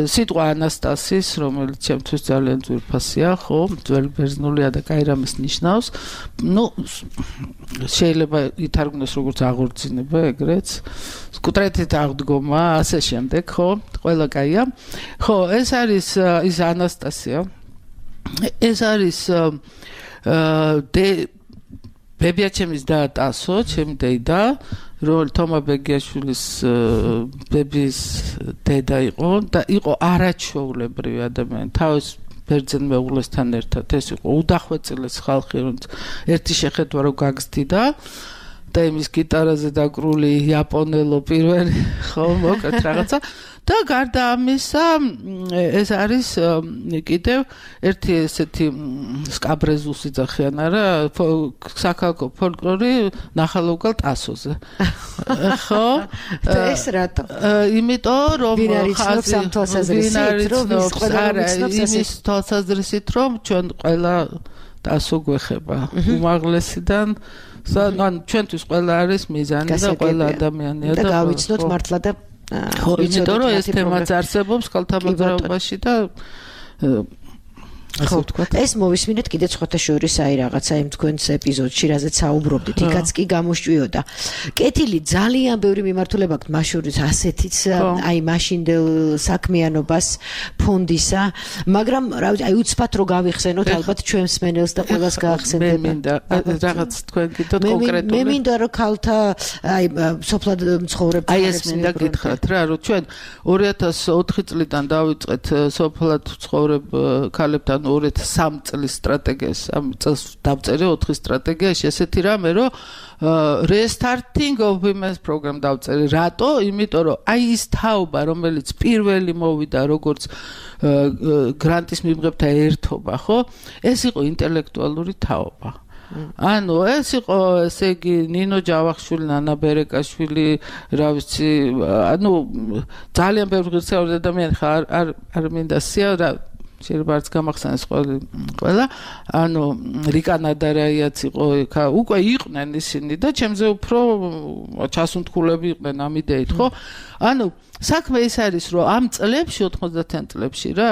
Speaker 4: სიტყვა ანასტასის, რომელიც ჩემთვის ძალიან ძვირფასია, ხო, ძველი ბერძნულია და კაი რამეს ნიშნავს. შეიძლება ითარგმნოს როგორც აღორძინება, ეგრეც. სკუტრეთით აღდგომა, ასე შემდეგ, ხო? ყველა კაია. ხო, ეს არის ის ანასტასია. ეს არის ბებიაჩემის და ტასო, ჩემი დედა, რომელიც თომა ბეგიაშვილის ბების დედა იყო და იყო არაჩვეულებრივი ადამიანი. თავის ბერძენ მეუღლესთან ერთად ეს იყო უდახვეწილეს ხალხი, რომელიც ერთი შეხედვა რო გაგზდიდა და იმის გიტარაზე დაკრული იაპონელო პირველი, ხო, მოკლედ რაღაცა. და გარდა ამისა, ეს არის კიდევ ერთი ესეთი სკაბრეზუსი ძახიან არა, საქალაქო ფოლკლორი ნახალოვგალ ტასოზე. ხო?
Speaker 3: ეს რატო?
Speaker 4: იმიტომ რომ
Speaker 3: ხაზი ამ თვალსაზრისით, რომ ის ყველა
Speaker 4: იმის თვალსაზრისით, რომ ჩვენ ყველა ტასო გვეხება. უმაღლესიდან ან ჩვენთვის ყველა არის მიზანი და ყველა ადამიანია
Speaker 3: და გავიცნოთ მართლა და
Speaker 4: ხო, იმიტომ რომ ეს თემაც არსებობს ქალთა მოძრაობაში და ასე ვთქვათ.
Speaker 3: ეს მოვისმინეთ კიდე სხვათა შორის აი რაღაცა იმ თქვენს ეპიზოდში, რაზეც საუბრობდით, იქაც კი გამოშჭვიოდა. კეთილი ძალიან ბევრი მიმართულება აქვს, მას შორის ასეთიც აი მაშინდელ საქმიანობას ფონდისა, მაგრამ რა ვიცი, აი უცბად რო გავიხსენოთ, ალბათ ჩვენ მსმენელს და ყველას გაახსენდება.
Speaker 4: მე მინდა რაღაც თქვენ გითხრათ კონკრეტულად.
Speaker 3: მე მინდა რომ ქალთა აი სოფლად მცხოვრებ
Speaker 4: აი ეს მინდა გითხრათ რა, რომ ჩვენ 2004 წლიდან დავიწყეთ სოფლად მცხოვრებ ქალებთან 2003 წლის სტრატეგიას, ამ წელს დავწერე 4 სტრატეგიაში ესეთი რამე, რომ restarting of women's program დავწერე. რატო? იმიტომ რომ აი ის თაობა, რომელიც პირველი მოვიდა როგორც გრანტის მიღებთა ერთობა, ხო? ეს იყო ინტელექტუალური თაობა. ანუ ეს იყო, ესე იგი, ნინო ჯავახიშვილი, ნანა ბერეკაშვილი, რა ვიცი, ანუ ძალიან ბევრი ღირსეული ადამიანი ხარ არ მინდა სია რა შეიძლება არც გამახსენდეს ყველა, ანუ რიკა ნადარაიაც იყო, უკვე იყვნენ ისინი და ჩემზე უფრო ჩასუნთქულები იყვნენ ამ იდეით, ხო? ანუ საქმე ის არის, რომ ამ წლებში 90-იან წლებში რა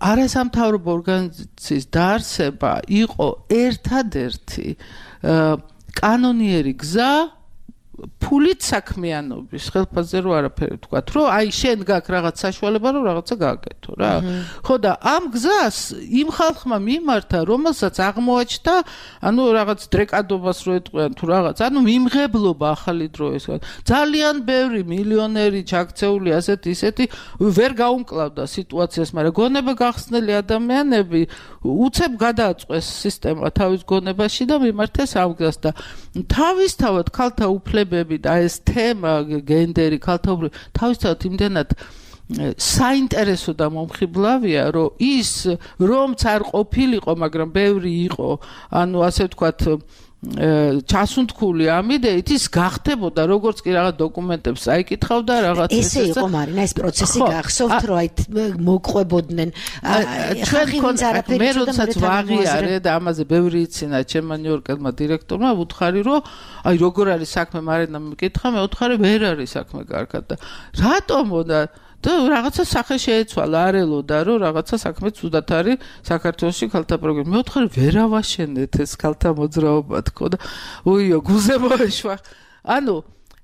Speaker 4: არასამთავრობო ორგანიზაციის დაარსება იყო ერთადერთი კანონიერი გზა ფულით საქმიანობის ხელფასზე რო არაფერი ვთქვათ, რომ აი შენ გაქვს რაღაც საშუალება, რომ რაღაცა გააკეთო რა. ხო და ამ გზას იმ ხალხმა მიმართა, რომელსაც აღმოაჩნდა, ანუ რაღაც დრეკადობას რო ეტყვიან თუ რაღაც, ანუ მიმღებლობა ახალი დრო ეს. ძალიან ბევრი მილიონერი ჩაქცეული ასეთი ისეთი ვერ გაუმკლავდა სიტუაციას, მაგრამ გონება გახსნელი ადამიანები უცებ გადააწყვეს სისტემა თავის გონებაში და მიმართეს ამ გზას და თავისთავად ქალთა უფლებები და ეს თემა გენდერი ქალთაური თავისთავად იმდენად საინტერესო და მომხიბლავია, რომ ის რომც არ ყოფილიყო, მაგრამ ბევრი იყო, ანუ ასე ვთქვათ ჩასუნთქული ამ იდეით ის გახდებოდა როგორც კი რაღაც დოკუმენტებს აიკითხავდა რაღაც
Speaker 3: ესე იყო მარინა ეს პროცესი გახსოვთ რომ აი მოყვებოდნენ
Speaker 4: ჩვენ მე როდესაც ვაღიარე და ამაზე ბევრი იცინა ჩემმა ნიუ-იორკელმა დირექტორმა ვუთხარი რომ აი როგორ არის საქმე მარინა მეკითხა მე ვუთხარი ვერ არის საქმე კარგად და რატომო და რაღაცა სახე შეეცვალა არელოდა რომ რაღაცა საქმე ცუდად არის საქართველოში ქალთა პროგრამა მე ვთხარი ვერ ავაშენეთ ეს ქალთა მოძრაობა თქო და უიო გულზე მოეშვა ანუ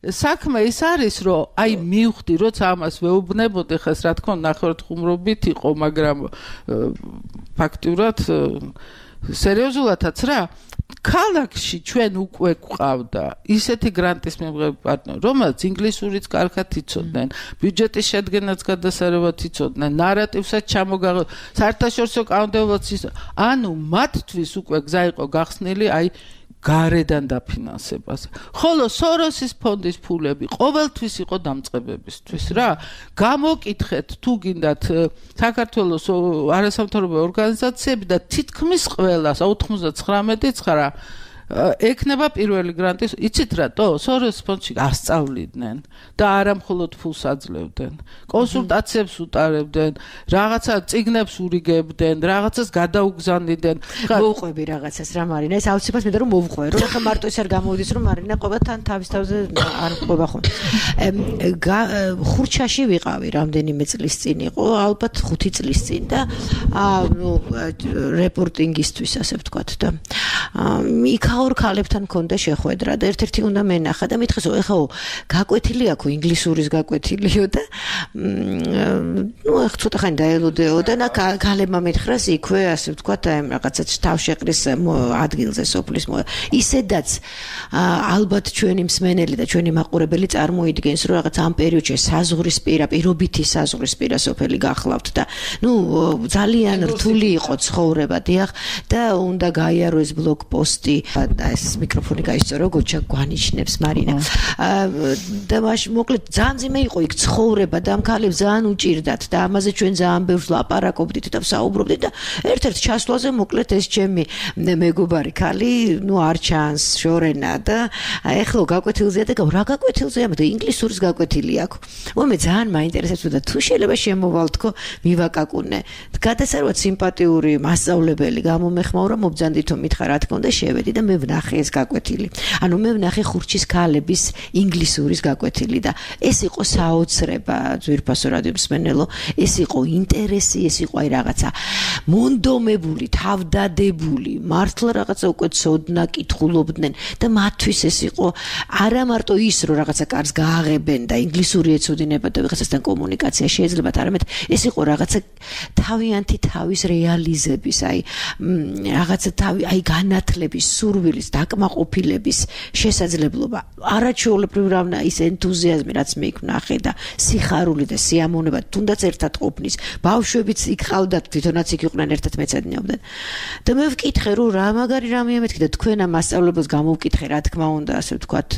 Speaker 4: საქმე ის არის რომ აი მივხვდი როცა ამას ვეუბნებოდი ხეს რა თქმა უნდა ნახევრად ხუმრობით იყო მაგრამ ფაქტურად სერიოზულადაც რა ქალაქში ჩვენ უკვე გვყავდა ისეთი გრანტის მიღების პარტნიორი, რომელიც ინგლისურიც კარგად იცოდნენ, ბიუჯეტის შედგენაც გადასარევად იცოდნენ, ნარატივსაც საერთაშორისო კანონმდებლობაც ანუ მათთვის უკვე გზა იყო გახსნილი აი გარედან დაფინანსებას. ხოლო სოროსის ფონდის ფულები ყოველთვის იყო დამწყებებისთვის რა. გამოკითხეთ თუ გინდათ საქართველოს არასამთავრობო ორგანიზაციები და თითქმის ყველას 99.9 ექნება პირველი გრანტის, იცით რატო? სოროს ფონდში ასწავლიდნენ და არა მხოლოდ ფულს აძლევდნენ. კონსულტაციებს უტარებდნენ, რაღაცა წიგნებს ურიგებდნენ, რაღაცას გადაუგზავნიდნენ.
Speaker 3: მოვყვები რაღაცას რა მარინა, ეს აუცილებლად მინდა რომ მოვყვე, რომ ახლა მარტო ეს არ გამოვიდეს რომ მარინა ყოველთან თავის თავზე არ ყვება ხომ. ხურჩაში ვიყავი რამდენიმე წლის წინ იყო, ალბათ 5 წლის წინ და რეპორტინგისთვის ასე ვთქვათ და იქაურ ქალებთან მქონდა შეხვედრა და ერთ-ერთი უნდა მენახა და მითხეს ეხლა გაკვეთილი აქვს ინგლისურის გაკვეთილიო და ახ ცოტა ხანი დაელოდეო და ქალებმა მითხრას იქვე ასე ვთქვათ რაღაცა თავშეყრის ადგილზე სოფლის ისედაც ალბათ ჩვენი მსმენელი და ჩვენი მაყურებელი წარმოიდგენს რომ რაღაც ამ პერიოდში საზღვრისპირა პირობითი საზღვრისპირა სოფელი გახლავთ და ძალიან რთული იყო ცხოვრება დიახ და უნდა გაიაროს ბლოგპოსტი და ეს მიკროფონი გაისწორო გოჩა გვანიშნებს მარინა და მაშინ მოკლედ ძალიან ძიმე იყო იქ ცხოვრება და ამ ქალებს ძალიან უჭირდათ და ამაზე ჩვენ ძალიან ბევრს ლაპარაკობდით და ვსაუბრობდით და ერთ-ერთ ჩასვლაზე მოკლედ ეს ჩემი მეგობარი ქალი არ ჩანს შორენა და ეხლა გაკვეთილზეა და რა გაკვეთილზეა და ინგლისურის გაკვეთილი აქვს მე ძალიან მაინტერესებს და თუ შეიძლება შემოვალთქო მივაკაკუნე გადასარევად სიმპათიური მასწავლებელი გამომეხმაურა მობძანდითო მითხრა რა თქმა უნდა შევედი და მე ვნახე ეს გაკვეთილი. ანუ მე ვნახე ხურჩის ქალების ინგლისურის გაკვეთილი და ეს იყო საოცრება ძვირფასო რადიო მსმენელო, ეს იყო ინტერესი, ეს იყო აი რაღაცა მონდომებული, თავდადებული, მართლა რაღაცა უკვე ცოდნა კითხულობდნენ და მათთვის ეს იყო არა მარტო ის რომ რაღაცა კარს გააღებენ და ინგლისური ეცოდინება და ვიღაცასთან კომუნიკაცია შეიძლებათ, არამედ ეს იყო რაღაცა თავიანთი თავის რეალიზების, აი რაღაცა აი განათლების სურვილის დაკმაყოფილების შესაძლებლობა არაჩვეულებრივი რანა ის ენთუზიაზმი რაც მე იქ ვნახე და სიხარული და სიამოვნება თუნდაც ერთად ყოფნის ბავშვებიც იქ ყავდათ თვითონაც იქ იყვნენ ერთად მეცადინეობდნენ და მე ვკითხე რომ რა მაგარი რამეა მეთქი და თქვენ ამ მასწავლებელს გამოვკითხე რა თქმა უნდა ასე ვთქვათ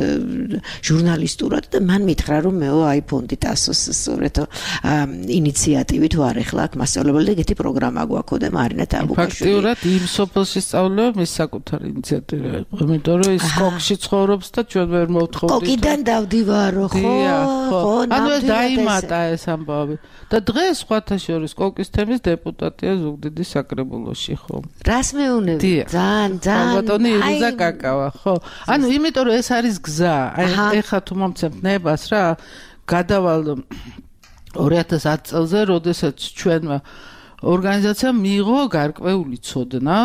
Speaker 3: ჟურნალისტურად და მან მითხრა რომ მეო აი ფონდი ტასოს სწორედ ინიციატივით ვარ ახლა აქ მასწავლებელი და ეგეთი პროგრამა გვაქვს და მარინა თაბუკაშვილი
Speaker 4: ფაქტიურად იმ სოფელში სწავლება მის საკუთარი ინიციატივა იყო იმიტომ რომ ის კოკში ცხოვრობს და ჩვენ ვერ მოვთხოვდით
Speaker 3: კოკიდან დავდივარო ხო
Speaker 4: ანუ ეს დაიმატა ეს ამბავი და დღეს სხვათა შორის კოკის თემის დეპუტატია ზუგდიდის საკრებულოში ხო
Speaker 3: რას მეუნები ძალიან
Speaker 4: ბატონი ირუზა კაკავა ხო ანუ იმიტომ რომ ეს არის გზა აი ეხა თუ მომცემთ ნებას რა გადავალ 2010 წელზე როდესაც ჩვენმა ორგანიზაცია მიიღო გარკვეული ცოდნა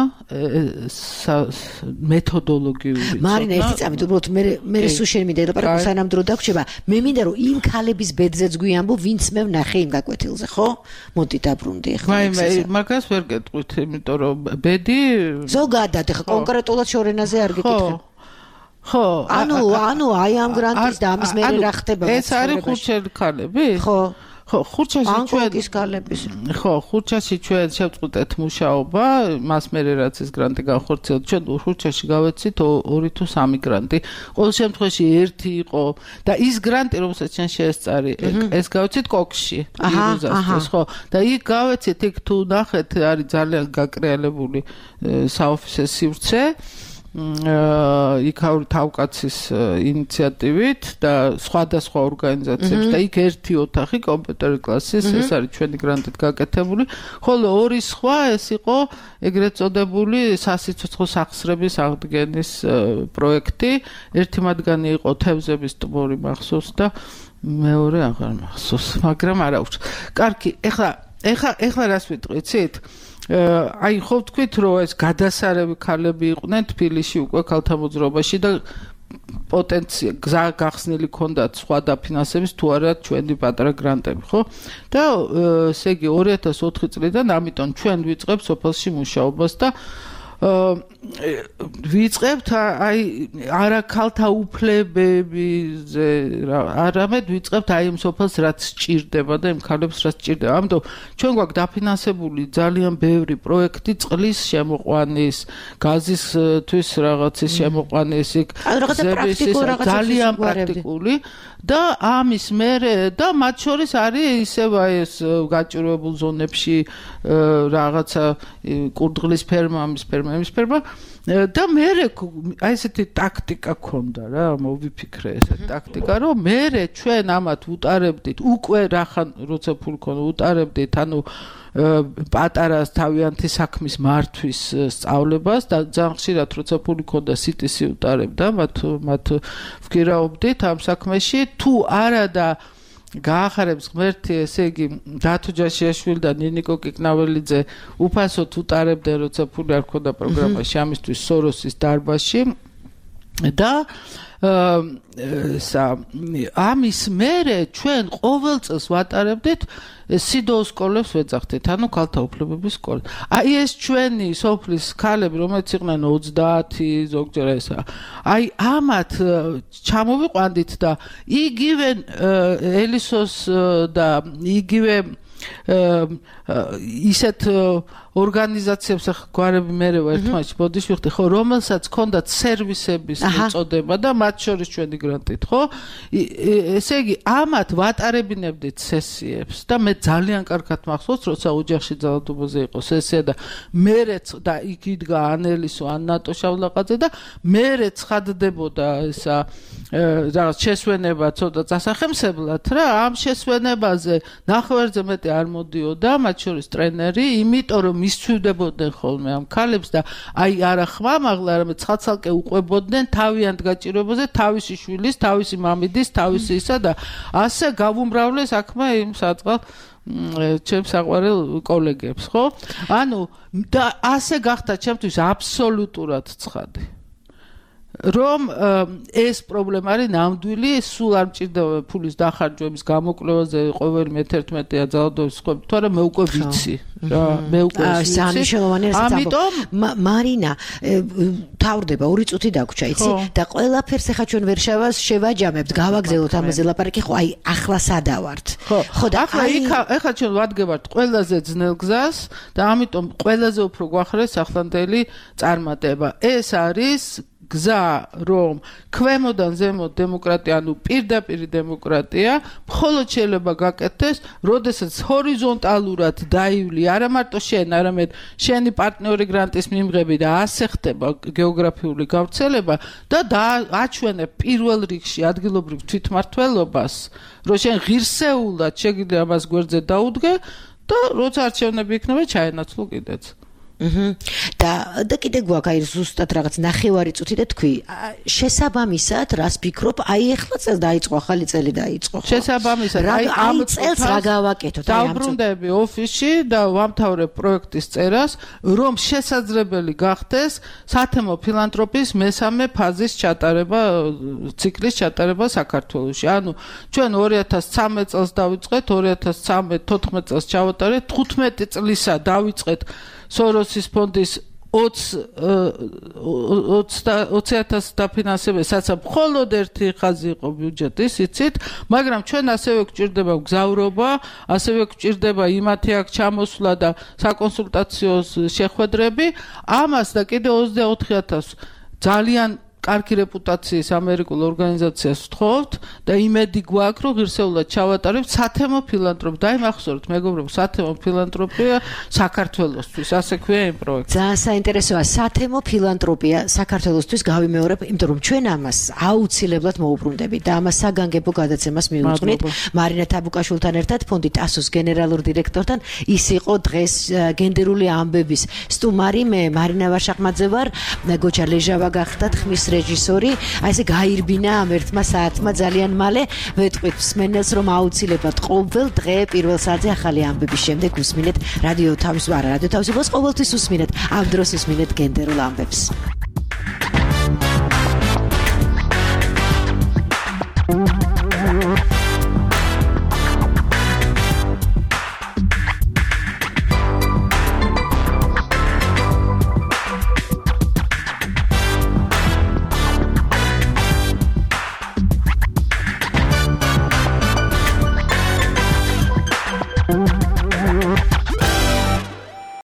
Speaker 4: მეთოდოლოგიური
Speaker 3: მარინა ერთი წამით უბრალოდ მე სულ შენ მინდა ელაპარაკო სანამ დრო დაგვრჩება მე მინდა რომ იმ ქალების ბედზეც გვიამბო ვინც მე ვნახე იმ გაკვეთილზე ხო მოდი დაბრუნდი ახლა
Speaker 4: მე მაგას ვერ გეტყვით იმიტომ რომ ბედი
Speaker 3: ზოგადად ახლა კონკრეტულად შორენაზე არ გეკითხე ხო ანუ აი ამ გრანტის და ამის მერე რა ხდება
Speaker 4: ეს არის ხურჩელი ქალები ხო ხო ხურჩაში ჩვენ შევწყვეტეთ მუშაობა მას მერე რაც ეს გრანტი განხორციელდა ჩვენ ხურჩაში გავეცით 2 თუ 3 გრანტი ყოველ შემთხვევაში ერთი იყო და ის გრანტი რომელსაც ჩვენ შეესწარი ეს გავეცით კოკში ირუზასთვის ხო და იქ გავეცით იქ თუ ნახეთ არის ძალიან გაკრიალებული საოფისე სივრცე იქაური თავკაცის ინიციატივით და სხვადასხვა ორგანიზაციებს და იქ ერთი ოთახი კომპიუტერი კლასის ეს არის ჩვენი გრანტით გაკეთებული ხოლო ორი სხვა ეს იყო ეგრეთ წოდებული სასიცოცხლო სახსრების აღდგენის პროექტი ერთი მათგანი იყო თევზების ტბორი მახსოვს და მეორე აღარ მახსოვს მაგრამ არა უშ კარგი ეხლა რას ვიტყვით აი ხო თქვით რომ ეს გადასარევი ქალები იყვნენ თბილისში უკვე ქალთა მოძრაობაში და პოტენცია გზა გახსნილი ქონდათ სხვა დაფინანსების თუ არა ჩვენი პატარა გრანტები ხო და ესე იგი 2004 წლიდან ამიტომ ჩვენ ვიწყებთ სოფელში მუშაობას და ვიწყებთ აი არა ქალთა უფლებებზე არამედ ვიწყებთ აი იმ სოფელს რაც სჭირდება და იმ ქალებს რაც სჭირდება. ამიტომ ჩვენ გვაქვს დაფინანსებული ძალიან ბევრი პროექტი წყლის შემოყვანის, გაზისთვის რაღაცის შემოყვანის, ძალიან პრაქტიკული და ამის მერე და მათ შორის არის ისევ აი ეს გაჭირვებულ ზონებში რაღაცა კურდღლის ფერმა, ამის ფერმა, იმის ფერმა და მერე აი ესეთი ტაქტიკა ქონდა რა, მოვიფიქრე ესეთი ტაქტიკა, რომ მერე ჩვენ ამათ უტარებდით უკვე რახან როცა ფული ქონდა უტარებდით, ანუ პატარა თავიანთი საქმის მართვის სწავლებას და ძალიან ხშირად როცა ფული ქონდა CTC უტარებდა, მათ ვგირაობდით ამ საქმეში, თუ არა და გაახარებს ღმერთი, ესე იგი დათო ჯაშიაშვილი და ნინიკო კიკნაველიძე უფასოდ უტარებდნენ, როცა ფული არ ქონდა პროგრამაში ამისთვის სოროსის დარბაზში და ამის მერე ჩვენ ყოველ წელს ვატარებდით სიდოუს სკოლებს ვეძახდით, ანუ ქალთა უფლებების სკოლა. აი ეს ჩვენი სოფლის ქალები, რომელიც იყვნენ 30 ზოგჯერ ესა. აი ამათ ჩამოვიყვანდით და იგივე ელისოს და იგივე ისეთ ორგანიზაციებს გვარები მერე ერთმანეთში ბოდიშვიხდი, ხო, რომელსაც ჰქონდათ სერვისების მოწოდება და მათ შორის ჩვენი გრანტით, ხო? ესე იგი, ამათ ვატარებინებდით სესიებს და მე ძალიან კარგად მახსოვს, როცა ოჯახში ძალადობაზე იყო სესია და მერეც და იქ იდგა ანელისო, ანატო შავლაყაძე და მერე ცხადდებოდა ესა რაღაც შესვენება ცოტა დასახემსებლად რა, ამ შესვენებაზე ნახევარზე მეტი არ მოდიოდა, მათ შორის ტრენერი, იმიტომ რომ მისცვივდებოდნენ ხოლმე ამ ქალებს და აი არა ხმამაღლა, არამედ ცხადსალკე უყვებოდნენ თავიანთ გაჭირვებაზე, თავისი შვილის, თავისი მამიდის, თავისი ისა და ასე გავუმრავლეს საქმე იმ საწყალ ჩემს საყვარელ კოლეგებს, ხო? ანუ და ასე გახდა ჩემთვის აბსოლუტურად ცხადი. რომ ეს პრობლემა არის ნამდვილი, სულ არ მჭირდება ფულის დახარჯვების გამოკვლევაზე ყოველი მე-11-ია ძალადობის სხვები, თორემ მე უკვე ვიცი რა, მე უკვე ვიცი.
Speaker 3: ამიტომ მარინა თავდება 2 წუთი დაგვრჩა, იცი? და ყველაფერს ახლა ჩვენ ვერ შევაჯამებთ, გავაგზავნოთ ამაზე ლაპარაკი, ხო, აი ახლა სადავართ.
Speaker 4: ხო, და ახლა ჩვენ ვადგებართ ყველაზე ძნელ გზას და ამიტომ ყველაზე უფრო გვახრეს ახლანდელი წარმატება. ეს არის გზა, რომ ქვემოდან ზემოთ დემოკრატია, ანუ პირდაპირ დემოკრატია, მხოლოდ შეიძლება გაკეთდეს, როდესაც ჰორიზონტალურად დაივლი არა მარტო შენ, არამედ შენი პარტნიორი გრანტის მიმღები და ასე ხდება გეოგრაფიული გავრცელება და აჩვენებ პირველ რიგში ადგილობრივ თვითმმართველობას, რომ შენ ღირსეულად შეგიძლია ამას გვერდზე დაუდგე და როცა არჩევნები იქნება, ჩაენაცვლო კიდეც.
Speaker 3: და კიდე გვაქვს აი ზუსტად რაღაც ნახევარი წუთი და თქვი შესაბამისად რას ფიქრობ აი ახლა წელი დაიწყო ახალი წელი დაიწყო
Speaker 4: შესაბამისად
Speaker 3: აი ამ წელს რა გავაკეთოთ
Speaker 4: აი ამ დავბრუნდები ოფისში და ვამთავრებ პროექტის წერას რომ შესაძლებელი გახდეს სათემო ფილანთროპიის მესამე ფაზის ჩატარება ციკლის ჩატარება საქართველოში ანუ ჩვენ 2013 წელს დავიწყეთ 2013-14 წელს ჩავატარეთ 15 წლისა დავიწყეთ სოროსის ფონდის 20,000 დაფინანსება, საცა მხოლოდ ერთი ხაზი იყო ბიუჯეტის, იცით, მაგრამ ჩვენ ასევე გვჭირდება მგზავრობა, ასევე გვჭირდება იმათი აქ ჩამოსვლა და საკონსულტაციო შეხვედრები, ამას და კიდე 24,000 ძალიან კარგი რეპუტაციის ამერიკულ ორგანიზაციას ვთხოვთ და იმედი გვაქვს, რომ ღირსეულად ჩავატარებთ სათემო ფილანთროპია. დაიმახსოვრეთ, მეგობრებო, სათემო ფილანთროპია საქართველოსთვის, ასე ქვია იმ პროექტს.
Speaker 3: ძალიან საინტერესოა სათემო ფილანთროპია საქართველოსთვის გავიმეორებ, იმიტომ რომ ჩვენ ამას აუცილებლად მოუბრუნდებით და ამას საგანგებო გადაცემას მიუძღვნით. მარინა თაბუკაშვილთან ერთად ფონდი ტასოს გენერალურ დირექტორთან ის იყო დღეს გენდერული ამბების სტუმარი, მე მარინა ვარშახმაძე ვარ, გოჩა ლეჟავა გახდათ ხმის რეჟისორი, აი ესე გაირბინა ამ ერთმა საათმა ძალიან მალე ვეთყვით მსმენელს რომ აუცილებლად ყოველ დღე პირველ საათზე ახალი ამბების შემდეგ უსმინეთ რადიო თავისუფლებას ყოველთვის უსმინეთ ამ დროს უსმინეთ გენდერულ ამბებს.